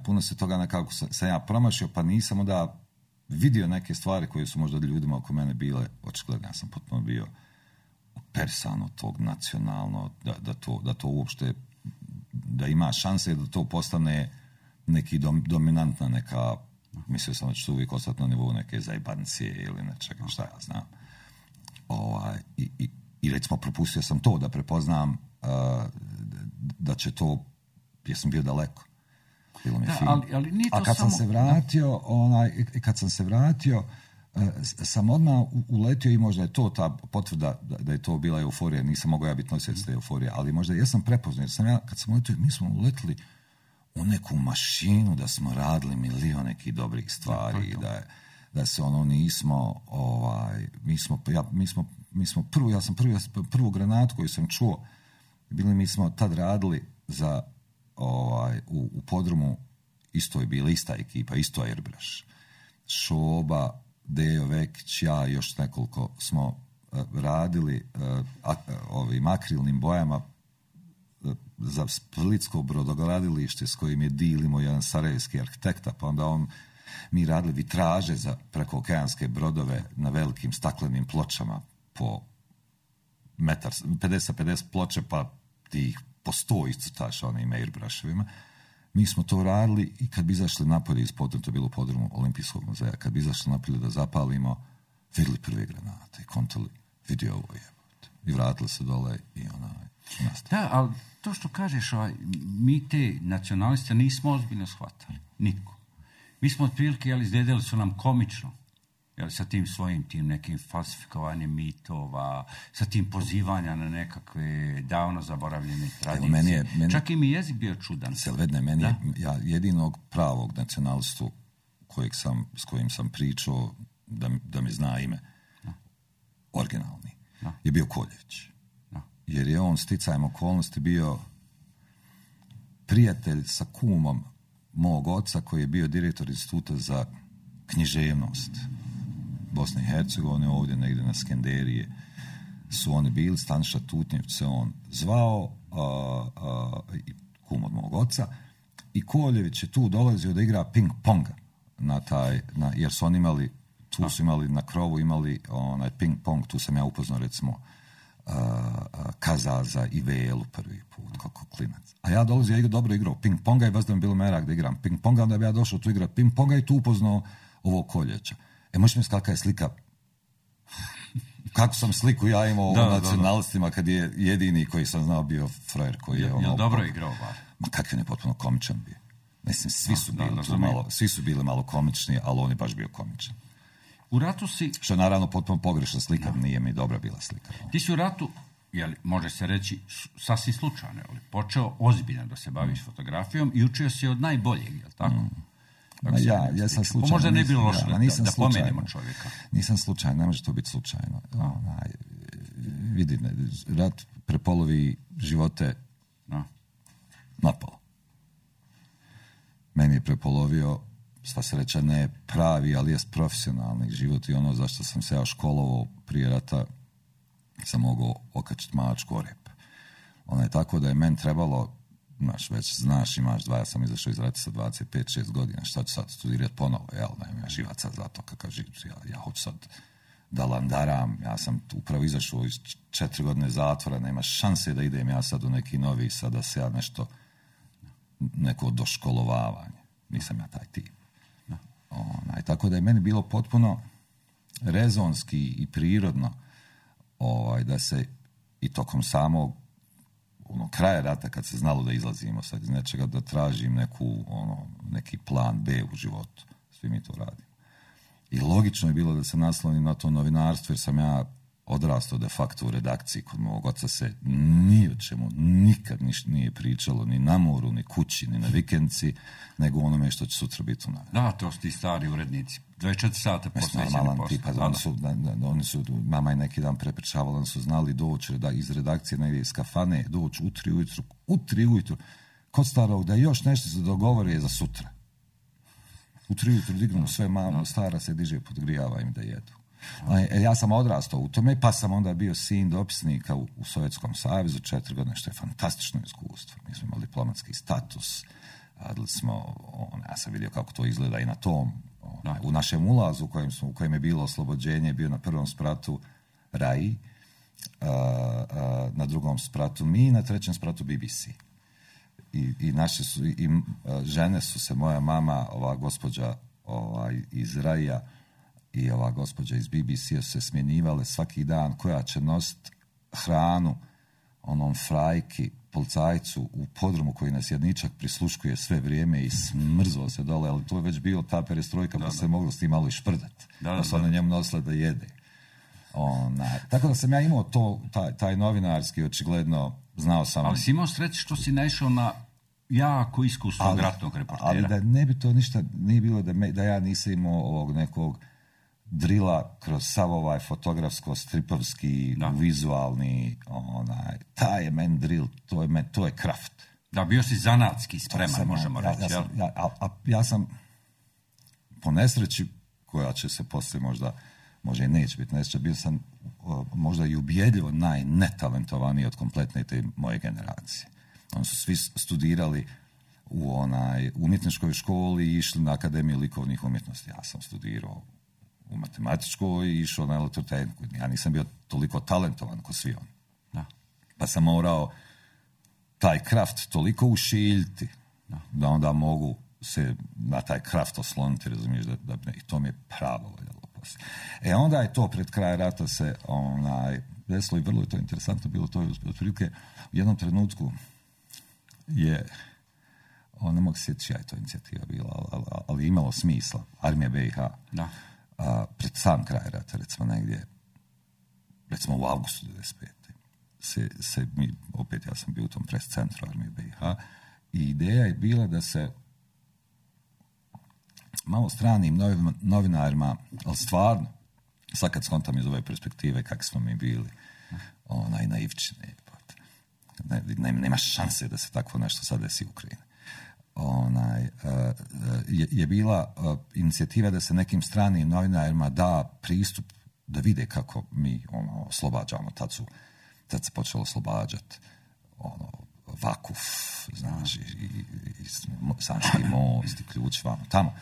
puno se toga nekako sam ja promašio, pa nisam onda vidio neke stvari koje su možda ljudima oko mene bile očigledne. Ja sam potpuno bio opersan od tog nacionalno, da to uopšte, da ima šanse da to postane neki dominantna neka, mislio sam da će to uvijek ostati na nivou neke zajbancije ili nečega, šta ja znam. I recimo propustio sam to da prepoznam da će to, jer sam bio daleko. Bilo mi fino.
Ali nije to
a kad
samo...
kad sam se vratio, sam odmah uletio i možda je to ta potvrda da je to bila euforija. Nisam mogao ja biti nosilac te euforije, ali možda ja sam prepoznao. Jer kad sam uletio, mi smo uletili u neku mašinu da smo radili milion nekih dobrih stvari i da se nismo ja sam prvu granatu koju sam čuo, mi smo tad radili za u podrumu, isto je bila ista ekipa, isto Airbrush. Šoba, Dejo Vekić, ja i još nekoliko smo radili ovim akrilnim bojama za splitsko brodogradilište s kojim je dilimo jedan sarajevski arhitekta, pa onda mi radili vitraže za prekookeanske brodove na velikim staklenim pločama po 50 ploče, pa ti po 100 iscrtaš onim airbrushevima. Mi smo to radili i kad bi izašli napolje iz podruma, to je bilo u podrumu Olimpijskog muzeja, kad bi izašli napolje da zapalimo, vidjeli prve granate i kontali, vidio ovo jebote. I vratili se dole i nastavili.
Da, ali to što kažeš, mi te nacionaliste nismo ozbiljno shvatali. Niko. Mi smo otprilike, izgledali su nam komično. Sa tim svojim tim nekim falsifikovanjem mitova, sa tim pozivanja na nekakve davno zaboravljene tradicije. Čak i mi jezik bio čudan.
Meni je jedinog pravog nacionalistu s kojim sam pričao da mi zna ime, originalni, je bio Koljević. Jer je on sticajem okolnosti bio prijatelj sa kumom mog oca koji je bio direktor instituta za književnost Bosne i Hercegovine, ovdje negdje na Skenderije su oni bili, Staniša Tutnjević se on zvao, kum od mog oca, i Koljević je tu dolazio da igra ping-ponga jer su oni imali, su imali na krovu, imali onaj ping-pong, tu sam ja upoznao recimo Kazaza i Velu prvi put, kako klinac. A ja dolazio, ja dobro igrao ping-ponga i vas da mi bilo merak da igram ping-ponga, onda bi ja došao tu igrati ping-ponga i tu upoznao ovog Koljevića. Možeš mi kakva je slika, kako sam sliku ja imao u nacionalistima kad je jedini koji sam znao bio frajer koji je
Jel dobro igrao bar?
Ma kakav je potpuno komičan bio. Mislim, svi su bili malo komični, ali on je baš bio komičan.
U ratu si...
Što je naravno potpuno pogrešna slika, nije mi dobra bila slika.
Ti si u ratu, može se reći, sasvim slučajno, počeo ozbiljno da se baviš fotografijom i učio si od najboljeg, je li tako?
Ja sam slučajno.
Možda ne bilo loše da pomenimo čovjeka.
Nisam slučajno, ne može to biti slučajno. Vidi, rat prepolovi živote napalo. Meni je prepolovio, sva sreća ne pravi, ali jest profesionalni život i ono zašto sam se ja školovao prije rata sam mogao okačiti mačku o rep. Ono je tako da je meni trebalo, znaš, imaš ja sam izašao iz rata sa 25-6 godina, šta ću sad studirati ponovo, ja živaca za to kakav život, ja hoću sad da landaram, ja sam upravo izašao iz 4 godine zatvora, nema šanse da idem ja sad u neki novi, sad da se ja neko doškolovavanje, nisam ja taj tip. Tako da je meni bilo potpuno rezonski i prirodno da se i tokom samog kraja rata kad se znalo da izlazimo sad iz nečega, da tražim neki plan B u životu. Svi mi to radimo. I logično je bilo da se naslonim na to novinarstvo, jer sam ja odrastao de facto u redakciji. Kod mog oca se ni o čemu nikad nije pričalo, ni na moru, ni kući, ni na vikendci, nego onome što će sutra biti u navratu.
Da, to su ti stari urednici. 24 sata posvećeni poslu.
Oni su, mama je neki dan prepričavala, oni su znali doći iz redakcije negdje iz kafane, doći u 3 ujutru, kod starog da još nešto se dogovore za sutra. U 3 ujutru dignu sve, mama stara se diže, podgrijava im da jedu. Ja sam odrastao u tome, pa sam onda bio sin dopisnika u Sovjetskom savezu 4 godine, što je fantastično iskustvo. Mi smo imali diplomatski status, radili smo, ja sam vidio kako to izgleda i na tom, u našem ulazu u kojem je bilo oslobođenje, bio na prvom spratu RAI, na drugom spratu mi, na trećem spratu BBC. I naše su, žene su se, moja mama, ova gospođa iz RAI-a i ova gospođa iz BBC-a su se smjenjivale svaki dan koja će nositi hranu onom frajki, policajcu u podrumu koji nas jedničak prisluškuje sve vrijeme i smrzlo se dole, ali to je već bio ta perestrojka, pa se moglo s tim malo i šprdati. Pa su ona njemu nosile da jede. Tako da sam ja imao taj novinarski, očigledno, znao sam...
Ali si imao sreće što si naišao na jako iskusnog ratnog reportera.
Ali da ne bi to ništa, nije bilo da ja nisam imao ovog nekog drila kroz sav ovaj fotografsko-stripovski, vizualni, taj je men drill, to je kraft.
Da, bio si zanatski spreman, možemo reći.
Ja sam po nesreći, koja će se poslije možda i neće biti nesreća, bio sam možda i ubjedljivo najnetalentovaniji od kompletne te moje generacije. Oni su svi studirali u umjetničkoj školi i išli na Akademiju likovnih umjetnosti. Ja sam studirao u matematičkoj i išao na elektrotehniku. Ja nisam bio toliko talentovan kao svi oni.
Da.
Pa sam morao taj kraft toliko ušiljiti da onda mogu se na taj kraft osloniti, razumiješ, i to mi je pravo valjalo poslije. Onda je to pred kraj rata se desilo i vrlo je to interesantno bilo. To je otprilike u jednom trenutku je, ne mogu se sjetiti čija je to inicijativa bila, ali imalo smisla. Armija BiH. Da. Pred sam kraj rata, recimo u avgustu 1995. Opet ja sam bio u tom pres centru Armije BiH i ideja je bila da se malo stranim novinarima, ali stvarno, sad kad skontam iz ove perspektive kako smo mi bili naivčine, nema šanse da se tako nešto sad desi u Ukrajini. Je bila inicijativa da se nekim stranim novinarima da pristup da vide kako mi oslobađamo. Tad se počelo oslobađati Vakuf, znaš, i Sanski most i Ključ vamo tamo.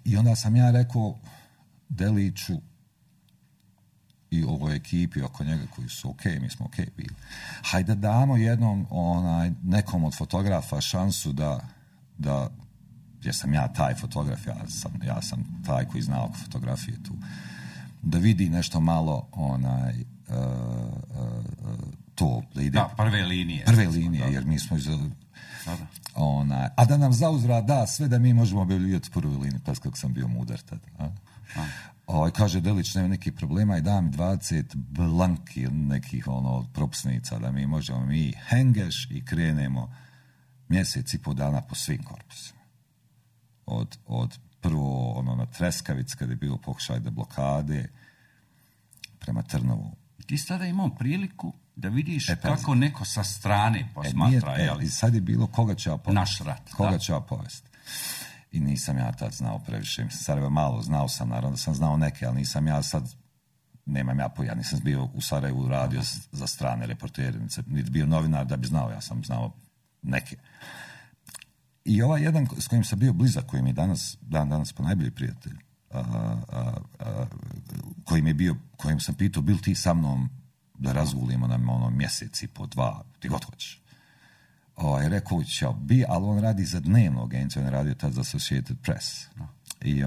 I onda sam ja rekao Deliću i ovoj ekipi oko njega koji su mi smo bili. Hajde damo jednom nekom od fotografa šansu da jer sam ja taj fotograf, ja sam taj koji zna oko fotografije tu, da vidi nešto malo to, da ide...
Da, prve linije,
jer mi smo a da nam zauzvrat da sve da mi možemo objavljivati prvu liniju, pas kako sam bio mudar tada. Kaže Delić, nema nekih problema i dam 20 blanki nekih propusnica da mi možemo hengeš i krenemo mjesec i po dana po svim korpusima. Od prvo na Treskavic kad je bilo pokušaj blokade prema Trnovu.
Ti sada imao priliku da vidiš kako neko sa strane posmatra.
Sad je bilo koga će ja povesti.
Naš rat.
Koga će ja povesti. I nisam ja tad znao previše. Mislim, Sarajevo malo znao sam, naravno da sam znao neke, ali nisam ja sad, ja nisam bio u Sarajevu radio za strane reportere, niti bio novinar da bi znao, ja sam znao neke. I ovaj jedan s kojim sam bio blizak, koji mi je danas ponajbolji prijatelj, kojim sam pitao, bil ti sa mnom da razgulimo nam mjesec i po 2, ti god hoćeš. Rekao ću bi, ali on radi za dnevnu agenciju, on je radio tad za Associated Press. I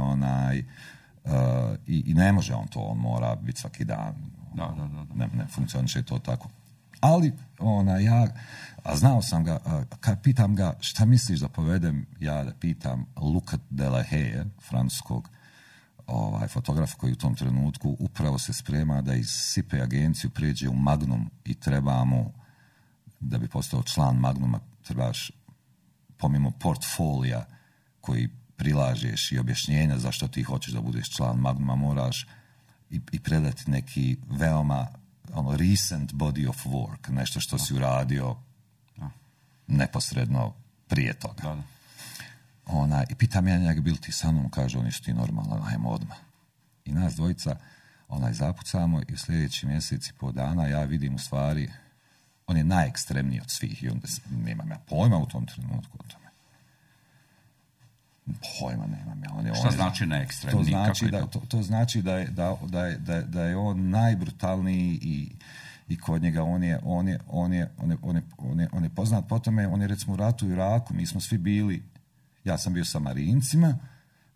i ne može on to, on mora biti svaki dan. Ne funkcioniše to tako. Ali znao sam ga, kad pitam ga šta misliš da povedem, ja da pitam Luca Delahaye, francuskog fotograf koji u tom trenutku upravo se sprema da iz SIPE agenciju pređe u Magnum i treba mu, da bi postao član Magnuma, trebaš pomimo portfolija koji prilažeš i objašnjenja zašto ti hoćeš da budeš član Magnuma, moraš i predati neki veoma recent body of work, nešto što si uradio neposredno prije toga. I pitam ja njega, bil ti sa mnom, kaže, oni su ti normalno, ajmo odmah. I nas dvojica zapucamo i u sljedeći mjesec i po dana ja vidim u stvari, on je najekstremniji od svih i onda nemam ja pojma u tom trenutku o tome. Pojma nemam ja.
Šta znači najekstremniji?
To znači da je on najbrutalniji i kod njega on je poznat po tome, on je recimo u ratu u Iraku, mi smo svi bili, ja sam bio sa Marincima,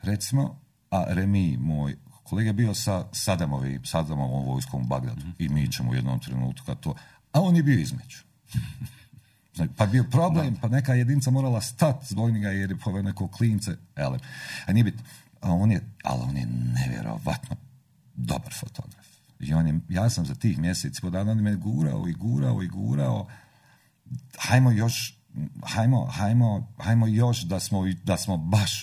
recimo, a Remi, moj kolega, je bio sa Sadamovom vojskom u Bagdadu i mi ćemo u jednom trenutku kad to, a on je bio između. Pa bio problem, pa neka jedinica morala stati zbog njega jer je poveo neko klince, a nije bit, ali on je nevjerovatno dobar fotograf. I ja sam za tih mjeseci po dana, on me gurao, hajmo još da smo baš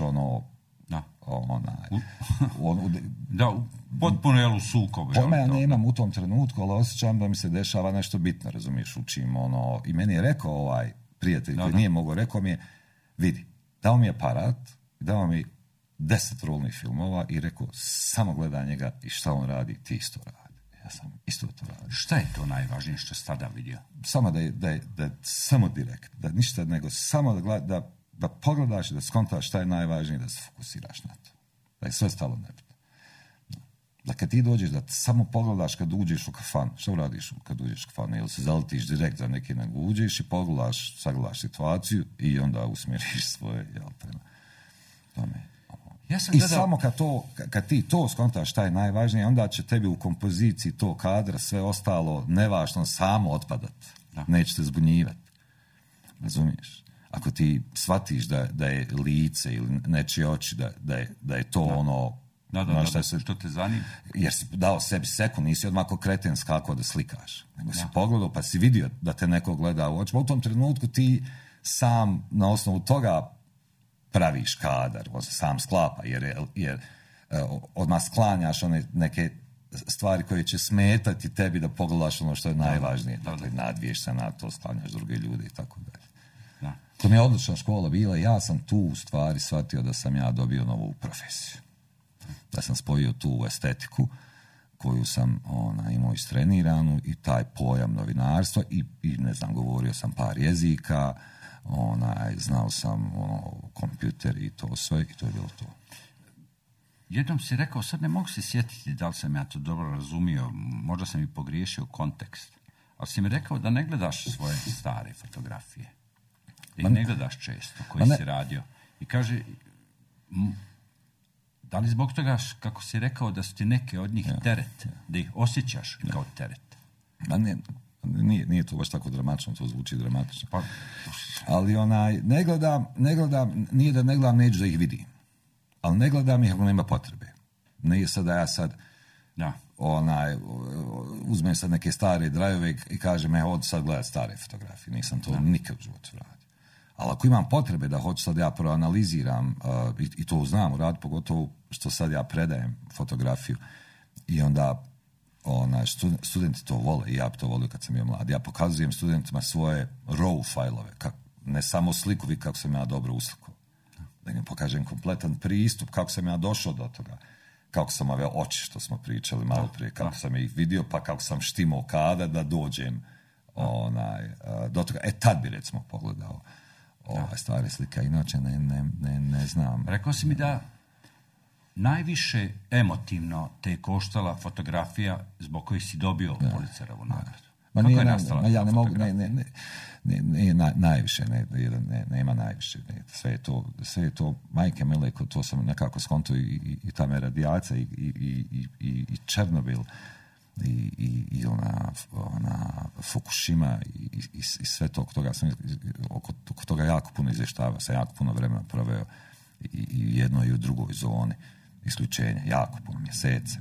potpuno u sukobu.
Pojma ja nemam u tom trenutku, ali osjećam da mi se dešava nešto bitno, razumiješ, učim i meni je rekao ovaj prijatelj koji nije mogao, rekao mi je, vidi, dao mi je aparat, dao mi 10 rolnih filmova i rekao, samo gledaj njega i šta on radi, ti isto radi. Ja sam isto to radio.
Šta je to najvažnije što si tada vidio?
Samo da je samo direkt, da ništa nego samo da pogledaš i da skontaš šta je najvažnije, da se fokusiraš na to. Da je sve stalo nebitno. Da kad ti dođeš, da samo pogledaš kad uđeš u kafan, što radiš kad uđeš u kafan, ili se zaletiš direkt za neki, nego uđeš i pogledaš, sagledaš situaciju i onda usmjeriš svoje, jel, prema tome. Samo kad ti to skontaš šta je najvažnije, onda će tebi u kompoziciji to kadra, sve ostalo nevažno samo otpadat. Neće te zbunjivati. Razumiješ? Ako ti shvatiš da je lice ili nečije oči, da je to ono...
Što te zanima?
Jer si dao sebi sekund, nisi odmah ko kreten skakao da slikaš. Nego si pogledao pa si vidio da te neko gleda u oči. U tom trenutku ti sam na osnovu toga praviš kadar, on se sam sklapa, jer odmah sklanjaš one neke stvari koje će smetati tebi da pogledaš ono što je najvažnije. Dakle, nadviješ se na to, sklanjaš druge ljude i tako dalje. To mi je odlična škola bila i ja sam tu u stvari shvatio da sam ja dobio novu profesiju. Da sam spojio tu estetiku koju sam imao istreniranu i taj pojam novinarstva i ne znam, govorio sam par jezika, znao sam kompjuter i to sve i to je bilo to.
Jednom si rekao, sad ne mogu se sjetiti da li sam ja to dobro razumio, možda sam i pogriješio kontekst, ali si mi rekao da ne gledaš svoje stare fotografije, da ih ne gledaš često, koji si radio. I kaže, da li zbog toga, kako si rekao, da su ti neke od njih teret, da ih osjećaš kao teret?
Nije to baš tako dramatično, to zvuči dramatično. Ali ne gledam, nije da ne gledam, neću da ih vidim. Ali ne gledam ih ako nema potrebe. Nije sad da ja sad uzmem sad neke stare drajove i kažem, hoću sad gledati stare fotografije. Nisam to nikad u životu radio. Ali ako imam potrebe da hoću sad ja proanaliziram i to znam u radu, pogotovo što sad ja predajem fotografiju i onda studenti to vole i ja bi to volio kad sam bio mlad. Ja pokazujem studentima svoje RAW fajlove, ne samo sliku, kako sam ja dobro uslikao. Da im pokažem kompletan pristup, kako sam ja došao do toga. Kako sam ove oči što smo pričali malo prije, kako sam ih vidio, pa kako sam štimao kada da dođem do toga. Tad bi recimo pogledao stare slike, inače ne znam.
Rekao si mi da najviše emotivno te je koštala fotografija zbog kojih si dobio Pulitzerovu nagradu. Kako je nastala
ja ne mogu, najviše, nema najviše. Sve je to, majke mile, to sam nekako skonto i ta me radijacija i Černobil i ona Fukushima i sve to oko toga jako puno izvještava, sam jako puno vremena proveo i jedno i u drugoj zoni isključenja, jako puno mjesece.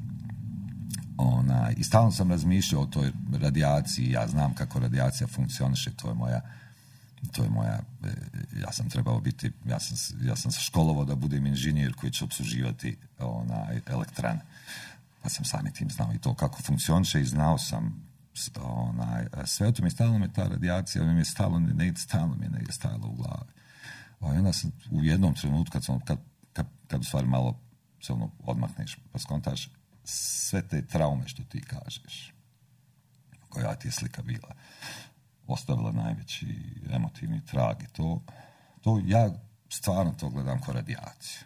I stalno sam razmišljao o toj radijaciji, ja znam kako radijacija funkcioniše, to je moja, ja sam trebao biti, ja sam se školovao da budem inženjer koji će opsluživati elektrane, pa sam samim tim znao i to kako funkcioniše i znao sam sve o tom i stalno me ta radijacija, mi je stalno negdje stajalo u glavi. I onda sam u jednom trenutku kad u stvari malo se odmakneš pa skontaš sve te traume što ti kažeš, koja ti je slika bila, ostavila najveći emotivni trag i to ja stvarno to gledam kao radijaciju.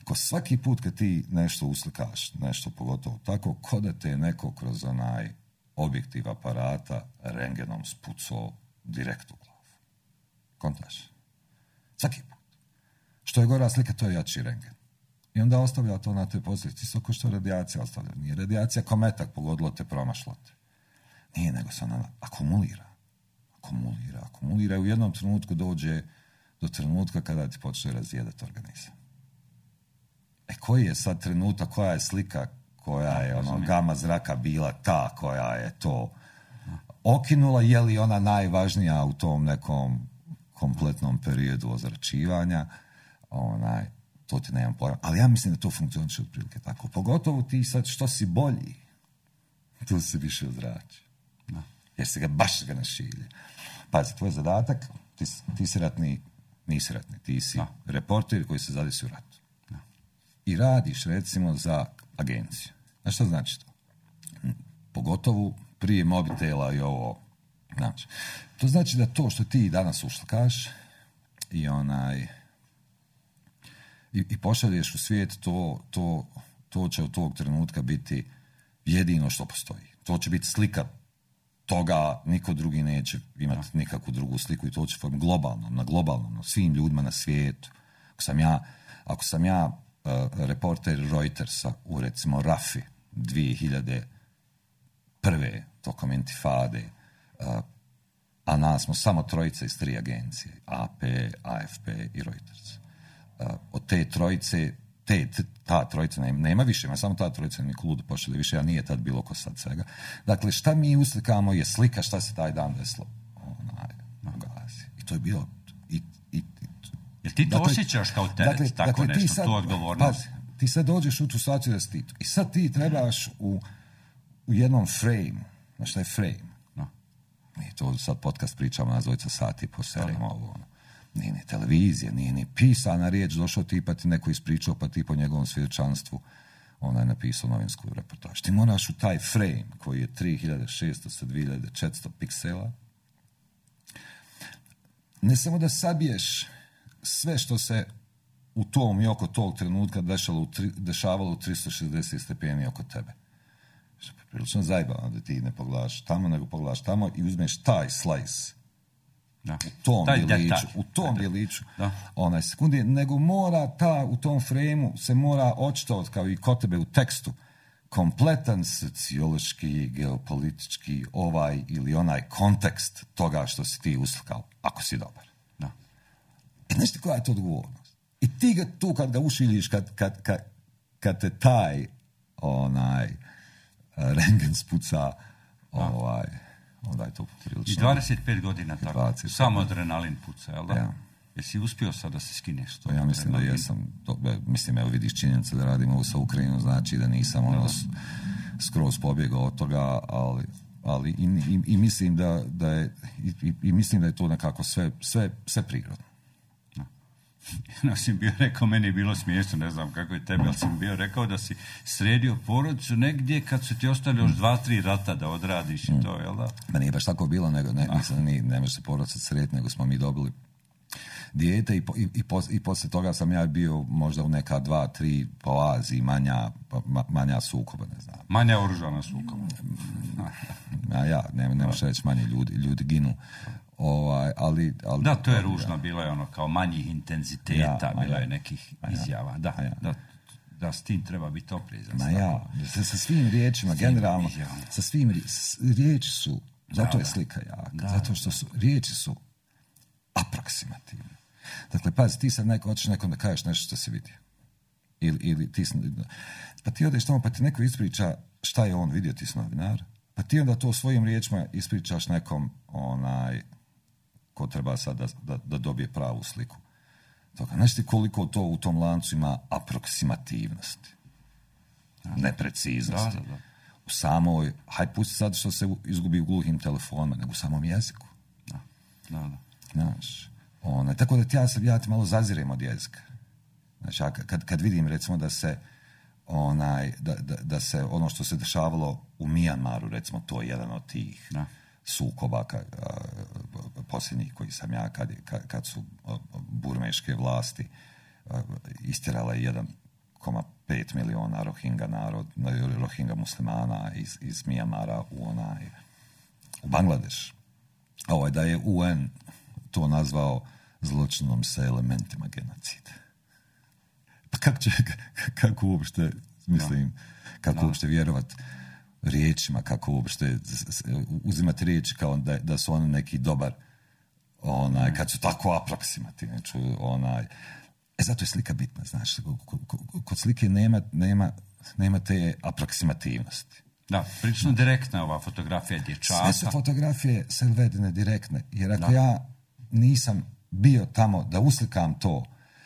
Ko svaki put kad ti nešto uslikaš, nešto pogotovo tako, ko da te neko kroz onaj objektiv aparata rengenom spucao direkt u glavu. Kontaš? Svaki put. Što je gora slika, to je jači rengen. I onda ostavlja to na toj poziciji. Isto kao što radijacija ostavlja. Nije radijacija kao metak pogodilo te, promašlo te. Nije, nego se ona akumulira. Akumulira i u jednom trenutku dođe do trenutka kada ti počne razjedati organizam. Koji je sad trenutak, koja je slika, koja je gama zraka bila ta koja je to okinula, je li ona najvažnija u tom nekom kompletnom periodu ozračivanja, to ti nemam pojma. Ali ja mislim da to funkcioniše otprilike tako. Pogotovo ti sad što si bolji, tu si više ozrači. Jer se ga baš ne šilje. Pazi, tvoj zadatak, ti si ratni, nisi ratni, ti si reporter koji se zadesi u ratu. I radiš recimo za agenciju. Znaš što znači to? pogotovo prije mobitela i ovo. Znači, to znači da to što ti danas uslikaš i pošalješ u svijet, to će od tog trenutka biti jedino što postoji. To će biti slika toga, niko drugi neće imati nikakvu drugu sliku i to će na globalnom, na svim ljudima na svijetu. Ako sam ja reporter Reutersa u recimo Rafi 2001. tokom intifade, a nas smo samo trojica iz 3 agencije, AP, AFP i Reuters. Od te trojice, ta trojica nema više, ima samo ta trojica, niko ludo pošli više, a nije tad bilo ko sad svega. Dakle, šta mi uslikamo je slika šta se taj dan desilo u Gazi. I to je bilo...
Jer ti to osjećaš kao teret, tako nešto, tu odgovornost?
Ti sad dođeš u tu situaciju da si ti. I sad ti trebaš u jednom frame. Znaš šta je frame?
No.
Nije to sad podcast pričamo na dvojica sati po serijama ovo. Nije ni televizija, nije ni pisana riječ, došao ti pa ti neko ispričao pa ti po njegovom svjedočanstvu je napisao novinsku reportaž. Ti moraš u taj frame koji je 3600 sa 2400 piksela ne samo da sabiješ sve što se u tom i oko tog trenutka dešavalo u 360 stepeni oko tebe. Što je prilično zajebano da ti ne pogledaš tamo, nego pogledaš tamo i uzmeš taj slice u tom djeliću sekundi, nego mora u tom frejmu se mora očitovati kao i kod tebe u tekstu kompletan sociološki, geopolitički ili onaj kontekst toga što si ti uslikao, ako si dobar. I znaš ti koja je to odgovornost? I ti ga tu kad ga ušiljiš, kad te taj rengen spuca, onda je to prilično.
I 25 godina tako. Samo adrenalin puca, jel da? Ja. Jesi uspio sad da se skineš to?
Ja mislim da jesam. Mislim, evo vidiš činjenica da radim ovo sa Ukrajinom, znači da nisam skroz pobjegao od toga, ali i mislim da je to nekako sve prirodno.
Ja sam bio rekao, meni je bilo smiješno, ne znam kako je tebi, ali sam bio rekao da si sredio porodicu negdje kad su ti ostali još 2-3 rata da odradiš i to, jel da?
Ma nije baš tako bilo, nego ne može se porodica srediti, nego smo mi dobili dijete i poslije toga sam ja bio možda u neka 2-3 po Aziji manja sukoba, ne znam.
Manja oružana sukoba.
Ne možeš reći manje ljudi ginu. Ali
da, to je ružno, bilo je kao manjih intenziteta, bilo je nekih izjava. Da, s tim treba biti oprezan.
Sa svim riječima, generalno, sa svim riječi su, zato je slika jaka, zato što riječi su aproksimativne. Dakle, pazi, ti sad hoćeš nekom da kažeš nešto što si vidio. Ili pa ti odeš tamo, pa ti neko ispriča šta je on vidio, ti si novinar, pa ti onda to svojim riječima ispričaš nekom ko treba sad da dobije pravu sliku. Znaš ti koliko to u tom lancu ima aproksimativnosti, nepreciznosti.
Da.
U samoj, pusti sad što se izgubi u gluhim telefonima, nego u samom jeziku.
Da.
Znaš, tako da ja ti malo zazirem od jezika. Znači, kad vidim recimo da se da se ono što se dešavalo u Mijanmaru, recimo, to je jedan od tih sukoba posljednjih koji sam ja kad su burmeške vlasti istjerale 1,5 miliona Rohingya muslimana iz Mijanmara u Bangladeš. Da je UN to nazvao zločinom sa elementima genocida. Pa kako uopšte, mislim, kako uopšte vjerovat riječima, kako uopšte uzimati riječi kao da su oni neki dobar, kad su tako aproksimativni. Zato je slika bitna, znaš. Kod slike nema te aproksimativnosti.
Da, prilično direktna ova fotografija dječaka.
Sve su fotografije selvedine direktne, jer ako ja nisam bio tamo da uslikam to,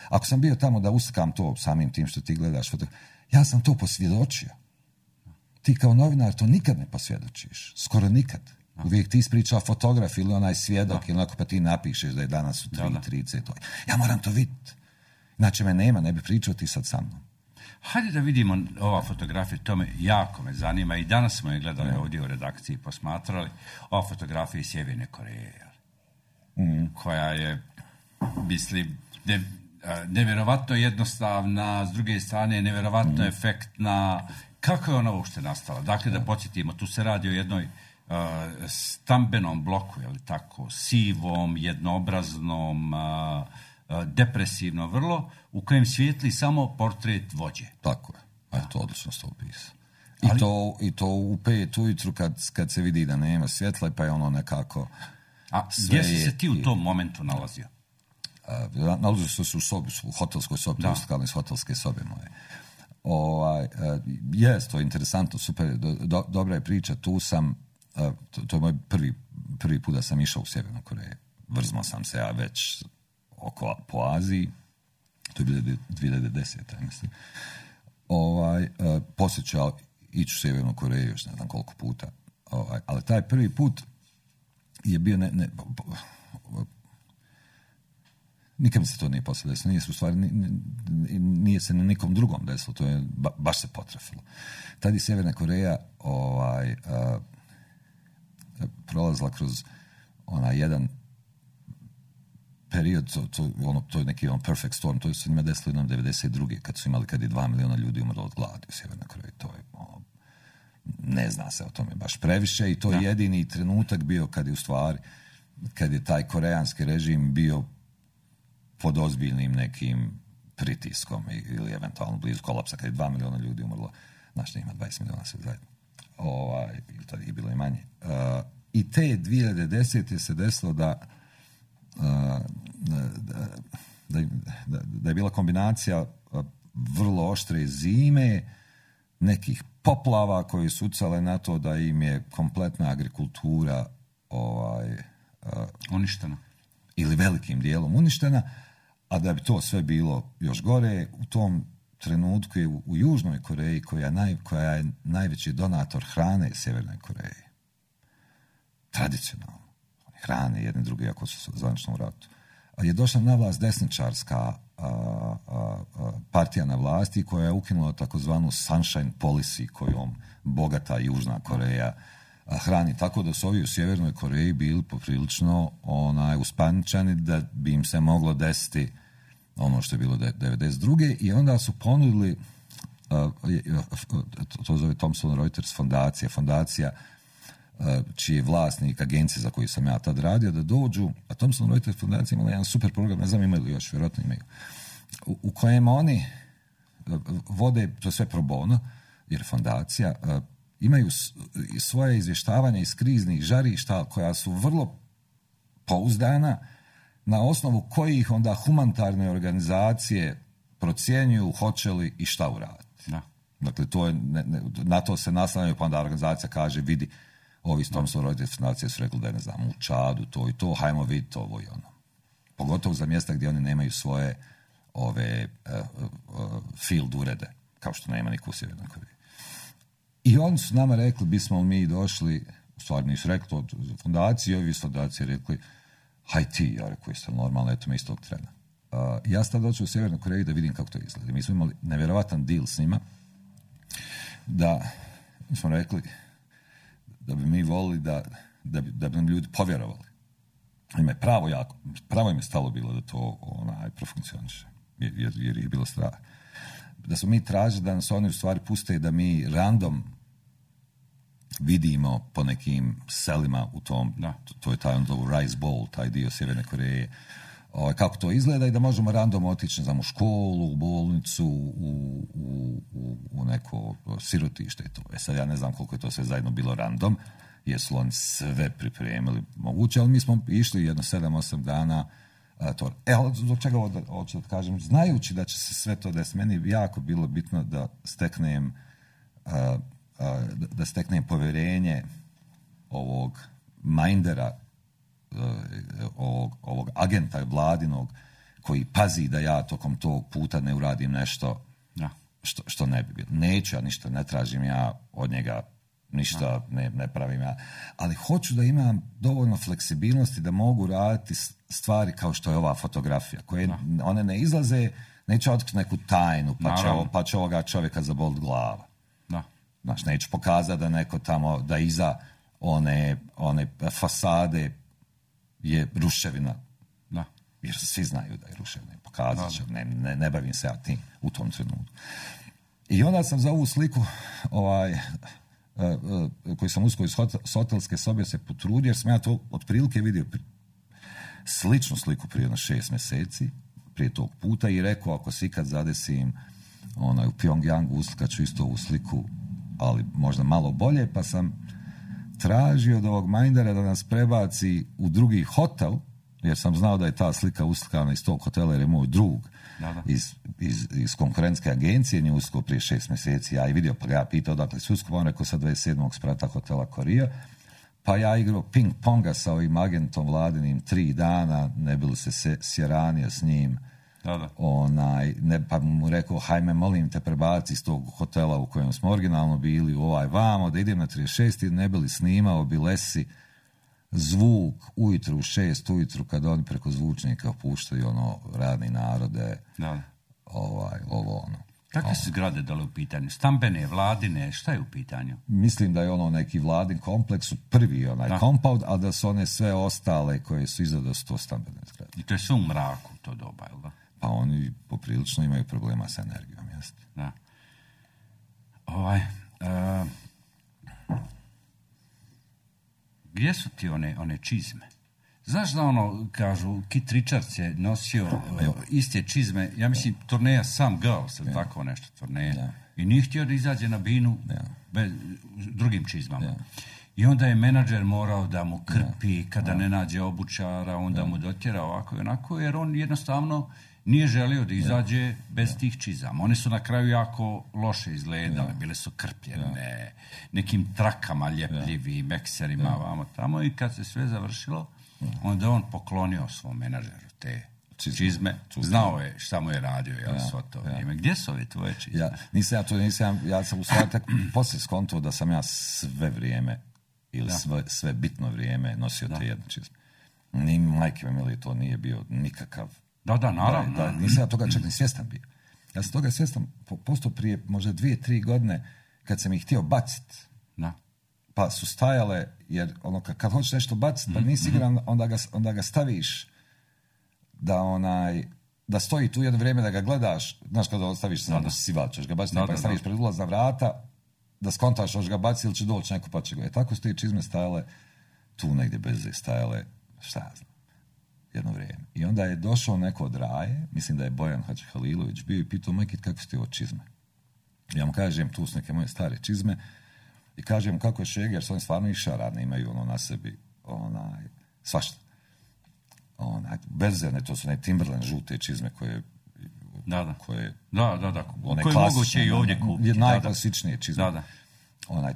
ako sam bio tamo da uslikam to samim tim što ti gledaš ja sam to posvjedočio. Ti kao novinar to nikad ne posvjedočiš. Skoro nikad. Uvijek ti ispriča fotograf ili onaj svjedok ili onako pa ti napišeš da je danas u 3:30. Ja moram to vidjeti. Znači me nema, ne bi pričao ti sad sa mnom.
Hajde da vidimo ova fotografija, to me jako me zanima i danas smo je gledali ovdje u redakciji, posmatrali. Ova fotografija iz Sjeverne Koreje, koja je, mislim, nevjerovatno jednostavna, s druge strane nevjerovatno efektna. Kako je ona uopšte nastala? Dakle, da podsjetimo, tu se radi o jednoj stambenom bloku, je li tako, sivom, jednoobraznom, depresivno vrlo, u kojem svijetli samo portret vođe.
Tako je. To odlično ste opisali. I to u 5 ujutru kad se vidi da nema svjetla, pa je ono nekako...
A gdje si se ti u tom momentu nalazio?
Nalazio se u sobi, u hotelskoj sobi, to iz hotelske sobe moje. To je interesantno, super, dobra je priča, tu sam, to je moj prvi put da sam išao u Sjevernu Koreju. Vrzmao sam se ja već po Aziji, to je bilo 2010. mislim. Poslije ću ja ići u Sjevernu Koreju još ne znam koliko puta. Ali taj prvi put je bio nikad mi se to nije poslije desilo. Nije se na nikom drugom desilo. To je baš se potrefilo. Tad je Sjeverna Koreja prolazila kroz jedan period, to je neki perfect storm, to se njima desilo jednom 92. kad je 2 miliona ljudi umrlo od gladi u Sjevernoj Koreji. To je, ne zna se o tome baš previše i to je jedini trenutak bio kad je taj koreanski režim bio pod ozbiljnim nekim pritiskom ili eventualno blizu kolapsa, kad je 2 miliona ljudi umrlo. Znaš, ima 20 miliona sve zajedno. To je bilo i manje. I te 2010. se desilo da je bila kombinacija vrlo oštre zime, nekih poplava koje su ucale na to da im je kompletna agrikultura
uništena.
Ili velikim dijelom uništena, a da bi to sve bilo još gore, u tom trenutku je u Južnoj Koreji, koja je najveći donator hrane Sjevernoj Koreji. Tradicionalno. Hrane jedni drugi, ako su zvanično u ratu. Je došla na vlast desničarska partija na vlasti koja je ukinula takozvanu sunshine policy kojom bogata Južna Koreja hrani, tako da su ovi u Sjevernoj Koreji bili poprilično uspaničani da bi im se moglo desiti ono što je bilo 92. I onda su ponudili to zove Thomson Reuters fondacija čiji je vlasnik agencije za koju sam ja tad radio, da dođu, a Thomson Reuters fondacija imala jedan super program, ne znam imaju li još, vjerojatno imaju, u kojem oni vode, to je sve pro bono, jer fondacija, imaju svoje izvještavanje iz kriznih žarišta koja su vrlo pouzdana, na osnovu kojih onda humanitarne organizacije procjenjuju hoće li i šta uraditi.
Da.
Dakle, na to se naslanjaju, pa onda organizacija kaže, vidi, ovi s Thomson Reuters fondacije su rekli da je, ne znam, u Čadu to i to, hajmo vidjeti ovo i ono. Pogotovo za mjesta gdje oni nemaju svoje field urede, kao što nema niko u Sjevernoj Koreji. I oni su nama rekli, bismo mi došli, u stvari nisu rekli to fondacije, ovi iz fondacije rekli, haj ti, ja rekao, jeste normalno, eto me iz tog trena. Ja sam došao u Sjevernoj Koreji da vidim kako to izgleda. Mi smo imali nevjerovatan deal s njima, da mi smo rekli da bi mi volili da bi nam ljudi povjerovali. Ima je pravo im je stalo bilo da to profunkcioniše, jer je bilo strah. Da smo mi tražili da nas oni u stvari puste da mi random vidimo po nekim selima u tom, to je taj Rice Bowl, taj dio Sjeverne Koreje, kako to izgleda i da možemo random otići, ne znam, u školu, u bolnicu, u neko sirotište i to. Sad ja ne znam koliko je to sve zajedno bilo random, jer su oni sve pripremili moguće, ali mi smo išli jedno 7-8 dana to. Ali zbog čega hoću da kažem, znajući da će se sve to desiti, meni je jako bilo bitno da steknem povjerenje ovog mindera, ovog agenta vladinog koji pazi da ja tokom tog puta ne uradim nešto što ne bi bilo. Neću ja ništa, ne tražim ja od njega ništa, ne pravim ja. Ali hoću da imam dovoljno fleksibilnosti da mogu raditi stvari kao što je ova fotografija, koje one ne izlaze neću otkriti neku tajnu, pa će ovoga čovjeka zabolit glava.
Da.
Znaš, neću pokazati da neko tamo, da iza one fasade je ruševina.
Da.
Jer svi znaju da je ruševina. Pokazat ću, ne bavim se ja tim u tom trenutku. I onda sam za ovu sliku koju sam uskoro iz hotelske sobe se potrudio, jer sam ja to otprilike vidio sličnu sliku prije 6 mjeseci, prije tog puta, i rekao, ako se ikad zadesim u Pyongyangu, uslikat ću isto ovu sliku, ali možda malo bolje, pa sam tražio od ovog Mindera da nas prebaci u drugi hotel, jer sam znao da je ta slika uslikana iz tog hotela, jer je moj drug iz konkurentske agencije, nje usko prije 6 mjeseci, ja i vidio, pa ga ja pitao dakle si usko, on rekao sa 27. sprata hotela Korija, pa ja igrao ping ponga sa ovim agentom vladinim 3 dana, ne bi li se sjeranio s njim, pa mu rekao, hajme molim te prebaci iz tog hotela u kojem smo originalno bili u vamo, da idem na 36. ne bi li snimao bilesi zvuk ujutru u 6 ujutru kad oni preko zvučnika puštaju radni narode, ovo ono.
Kakve su zgrade dole u pitanju? Stambene, vladine, šta je u pitanju?
Mislim da je neki vladin kompleks, prvi compound, a da su one sve ostale koje su iza da su to stambene zgrade.
I to je sve u mraku to doba, jel da?
Pa oni poprilično imaju problema sa energijom, jeste.
Da. Gdje su ti one čizme? Znaš da kažu, Kit Richards je nosio iste čizme, ja mislim turneja Some Girls, ili tako nešto turneja, i nije htio da izađe na binu bez drugim čizmama. I onda je menadžer morao da mu krpi kada ne nađe obućara, onda mu dotjera ovako i onako, jer on jednostavno nije želio da izađe bez tih čizama. One su na kraju jako loše izgledale, bile su krpljene, nekim trakama ljepljivim, ekserima, vamo tamo, i kad se sve završilo, onda on poklonio svom menadžeru te čizme. Znao je šta mu je radio, svo to vrijeme. Gdje su ove tvoje čizme?
Ja sam u stvari tak poslije skonto da sam ja sve vrijeme ili sve bitno vrijeme nosio te jedne čizme. Ni majke mi to nije bio nikakav.
Da, naravno.
Nisam ja toga čak ni svjestan bio. Ja sam toga svjestan postao prije možda 2-3 godine kad sam ih htio baciti. Pa su stajale, jer kad hoćeš nešto baciti, pa nisi siguran, onda ga staviš da stoji tu jedno vrijeme da ga gledaš, znaš kada staviš da si sival, ćeš ga baciti, pa staviš pred ulazna vrata, da skontaš, hoćeš ga baciti ili će doći neko pa će ga. Tako su te čizme stajale tu negdje bez stajale, šta ja znam, jedno vrijeme. I onda je došao neko od Raje, mislim da je Bojan Hadžihalilović bio, i pitao Mekit kako su ti ovo čizme. Ja mu kažem, tu su neke moje stare čizme, i kažem kako je Šeger, su oni stvarno išaradne, imaju na sebi svašta. Berzene, to su Timberland žute čizme koje
koje moguće i ovdje kupiti.
Najklasičnije čizme.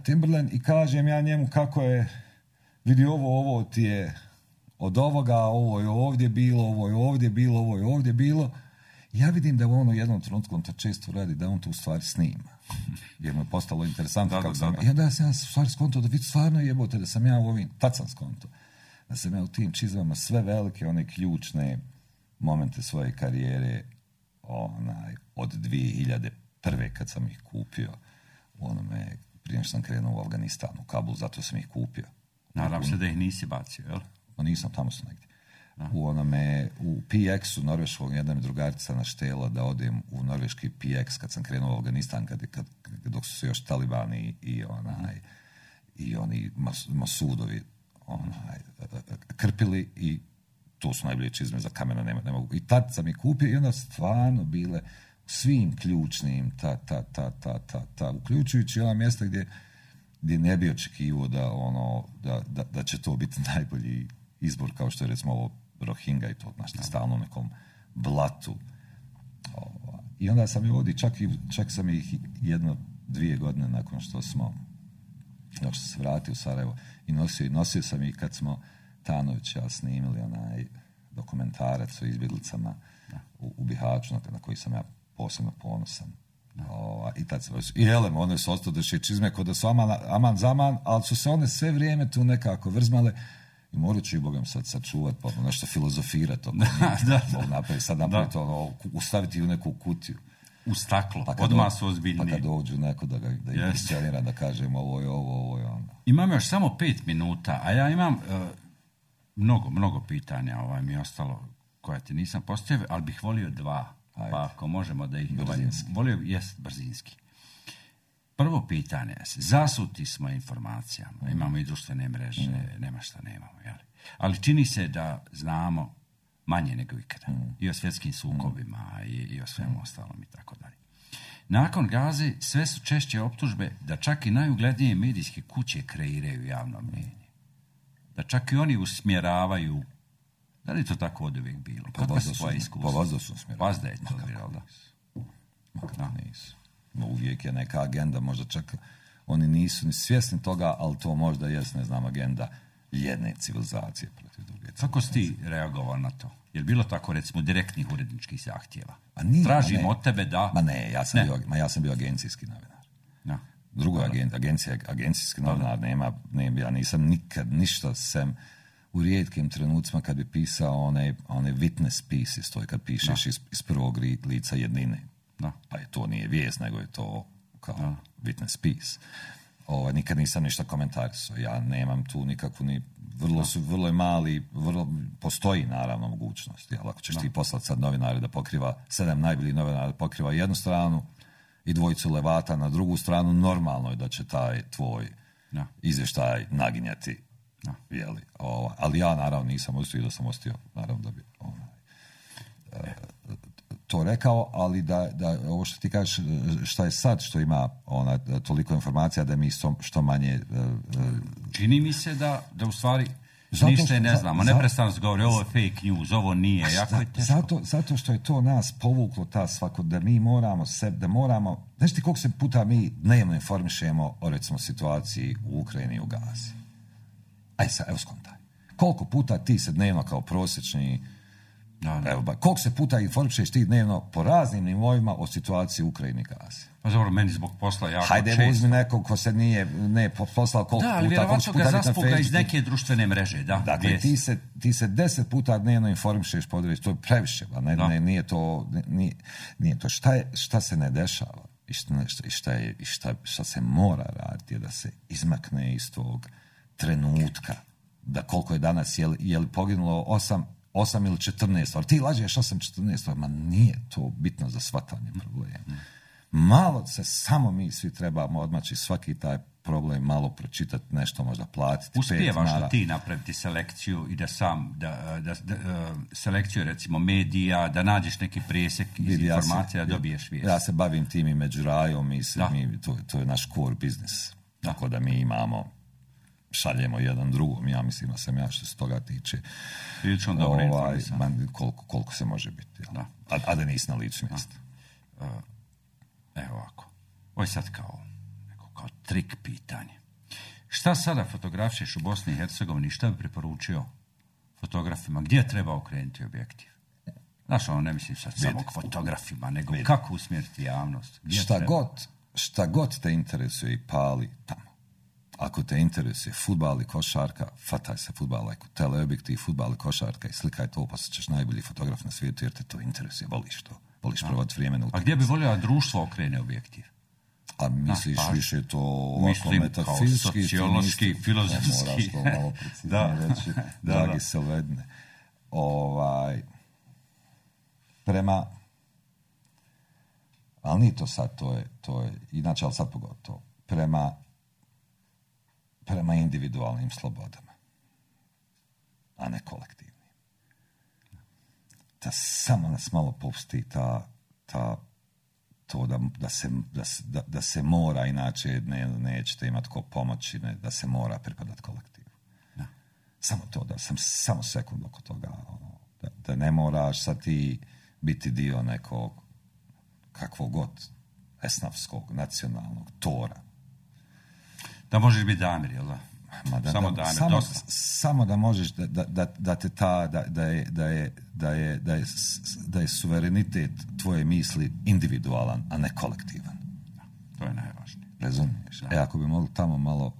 Timberland, i kažem ja njemu kako je, vidi ovo ti je od ovoga, ovo je ovdje bilo, ovo je ovdje bilo, ovo je ovdje bilo. Ja vidim da u jednom trenutku on to često radi, da on to u stvari snima. Jer mu je postalo interesantno kako sam. I onda sam ja u stvari skonto da vidi stvarno jebote da sam ja u ovim, tad sam skonto, da sam ja u tim čizmama sve velike, one ključne momente svoje karijere, od 2001. kad sam ih kupio, prije što sam krenuo u Afganistan, u Kabul, zato sam ih kupio.
Nadam se da ih nisi bacio, jel?
Nisam, tamo sam negdje. U PX-u norveškog jedna mi drugarica naštela da odem u norveški PX kad sam krenuo u Afganistan, dok su se još talibani i oni masudovi krpili, i to su najbolje čizme za kamena, ne mogu. I tad sam ih kupio i onda stvarno bile svim ključnim uključujući ona mjesta gdje ne bi očekivao da će to biti najbolji izbor, kao što je recimo ovo Rohingya i to, znaš, stalno u nekom blatu. I onda sam ih ovdje, čak sam ih 1-2 godine nakon što sam se vratio u Sarajevo i nosio sam ih kad smo Tanović ja snimili dokumentarac o izbjeglicama u Bihaću, na koji sam ja posebno ponosan. I tad sam one su ostale čizme kod da su aman zaman, ali su se one sve vrijeme tu nekako vrzmale. I morat ću i Bogom sad sačuvat, pa nešto filozofirati, mogu napraviti, sad napraviti ustaviti u neku kutiju.
U staklo, pa odmah su ozbiljniji.
Pa kad dođu neko da ih iscenira, da kažem ovo je ono.
Imam još samo 5 minuta, a ja imam mnogo pitanja mi je ostalo koja ti nisam postavio, ali bih volio 2, pa ako možemo da ih... brzinski. Prvo pitanje, zasuti smo informacijama, imamo i društvene mreže, nema šta nemamo, jel? Ali čini se da znamo manje nego ikada. I o svjetskim sukobima i o svemu ostalom i tako dalje. Nakon Gaze sve su češće optužbe da čak i najuglednije medijske kuće kreiraju javno mnijenje. Da čak i oni usmjeravaju. Da li to tako od uvijek bilo?
Kakva su tvoja iskustva? Pa vazda su usmjeravali.
Vazda je to bilo, da.
Nisu. Uvijek je neka agenda, možda čak oni nisu ni svjesni toga, ali to možda jest, ne znam, agenda jedne civilizacije protiv druge.
Kako si ti reagovao na to? Je li bilo tako, recimo, direktnih uredničkih zahtjeva?
Tražimo
od tebe da...
Ja sam bio agencijski novinar.
No.
Drugo, agencijski novinar nema, ja nisam nikad ništa sem u rijetkim trenucima kad bi pisao one witness pieces, to je kad pišeš iz prvog lica jednine.
No.
Pa to nije vijest, nego je to kao witness piece. Nikad nisam ništa komentarisao. Ja nemam tu nikakvu ni... Vrlo je mali, postoji naravno mogućnost. Jel, ako ćeš ti poslati sad novinare da pokriva 7 najboljih novinara da pokriva jednu stranu i 2 levata na drugu stranu, normalno je da će taj tvoj izvještaj naginjati. Jeli, ali ja naravno nisam ostio, da sam ostio naravno da bi to rekao, ali da ovo što ti kažeš, šta je sad što ima toliko informacija da mi što manje...
Čini mi se da u stvari ništa ne znamo, neprestano se govori ovo je fake news, ovo nije, jako je teško.
Zato što je to nas povuklo da mi moramo znaš ti koliko se puta mi dnevno informišemo o recimo situaciji u Ukrajini i u Gazi. Evo skontaj. Koliko puta ti se dnevno kao prosječni koliko se puta informišeš ti dnevno po raznim nivoima o situaciji u Ukrajini i Gazi?
Pa dobro, meni zbog posla jako često.
Hajde, uzmi nekog ko se nije poslao koliko puta.
Da, ali vjerovatno ga zaspuga iz neke društvene mreže.
Dakle, ti se 10 puta dnevno informišeš po određenju. To je previše. Nije to. Šta se ne dešava i šta se mora raditi je da se izmakne iz tog trenutka. Da koliko je danas, je li poginulo 8 ili 14, ali ti lažeš 8-14, ma nije to bitno za shvatanje problema. Malo se samo mi svi trebamo odmaći svaki taj problem, malo pročitati nešto, možda platiti.
Uspijevaš da ti napraviti selekciju i da sam, da selekciju recimo medija, da nađeš neki presjek iz informacija, da dobiješ vijest.
Ja se bavim tim i među rajom i to je naš core biznis. Tako da mi šaljemo jedan drugom, ja mislim da sam što se toga tiče
prilično dobro informisan.
Koliko se može biti. A da nisi na licu mjesta.
Evo ovako. Ovo je sad kao trik pitanje. Šta sada fotografišeš u Bosni i Hercegovini, šta bi preporučio fotografima? Gdje treba okrenuti objektiv? Znaš, ne mislim sad samo k fotografima, nego kako usmjeriti javnost?
Šta god te interesuje i pali tamo. Ako te interesuje fudbal i košarka, fataj se fudbala, teleobjektiv, fudbal i košarka i slikaj to, pa ćeš najbolji fotograf na svijetu jer te to interesuje, voliš to. Voliš provati vrijeme na utakmici.
A gdje bi volio da društvo okrene objektiv?
A misliš više to ovako metafizički,
sociološki, filozofski.
Moraš to malo preciznije reći, dragi Selvedne. Prema, ali nije to sad, to je, inače, ali sad pogotovo, prema individualnim slobodama, a ne kolektivnim. Da samo nas malo pusti to da se mora, inače nećete imati ko pomoći, da se mora pripadati kolektivu. Da. Samo to, da sam samo sekund oko toga, da ne moraš sad ti biti dio nekog kakvog god esnafskog, nacionalnog tora.
Da možeš biti Damir, jel da? Samo Damir,
samo da možeš da te da je suverenitet tvoje misli individualan, a ne kolektivan.
To je najvažnije.
Razumiješ? Ako bi mogli tamo malo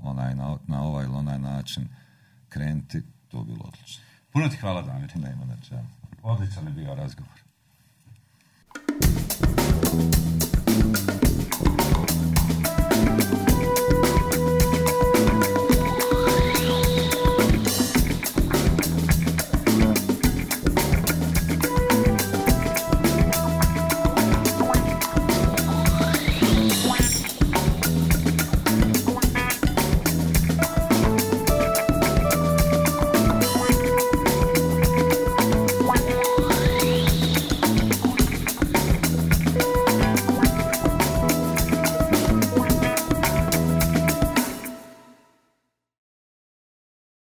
na ovaj ili onaj način krenuti, To bilo odlično.
Puno ti hvala, Damir.
Nema na čemu.
Odličan je bio razgovor.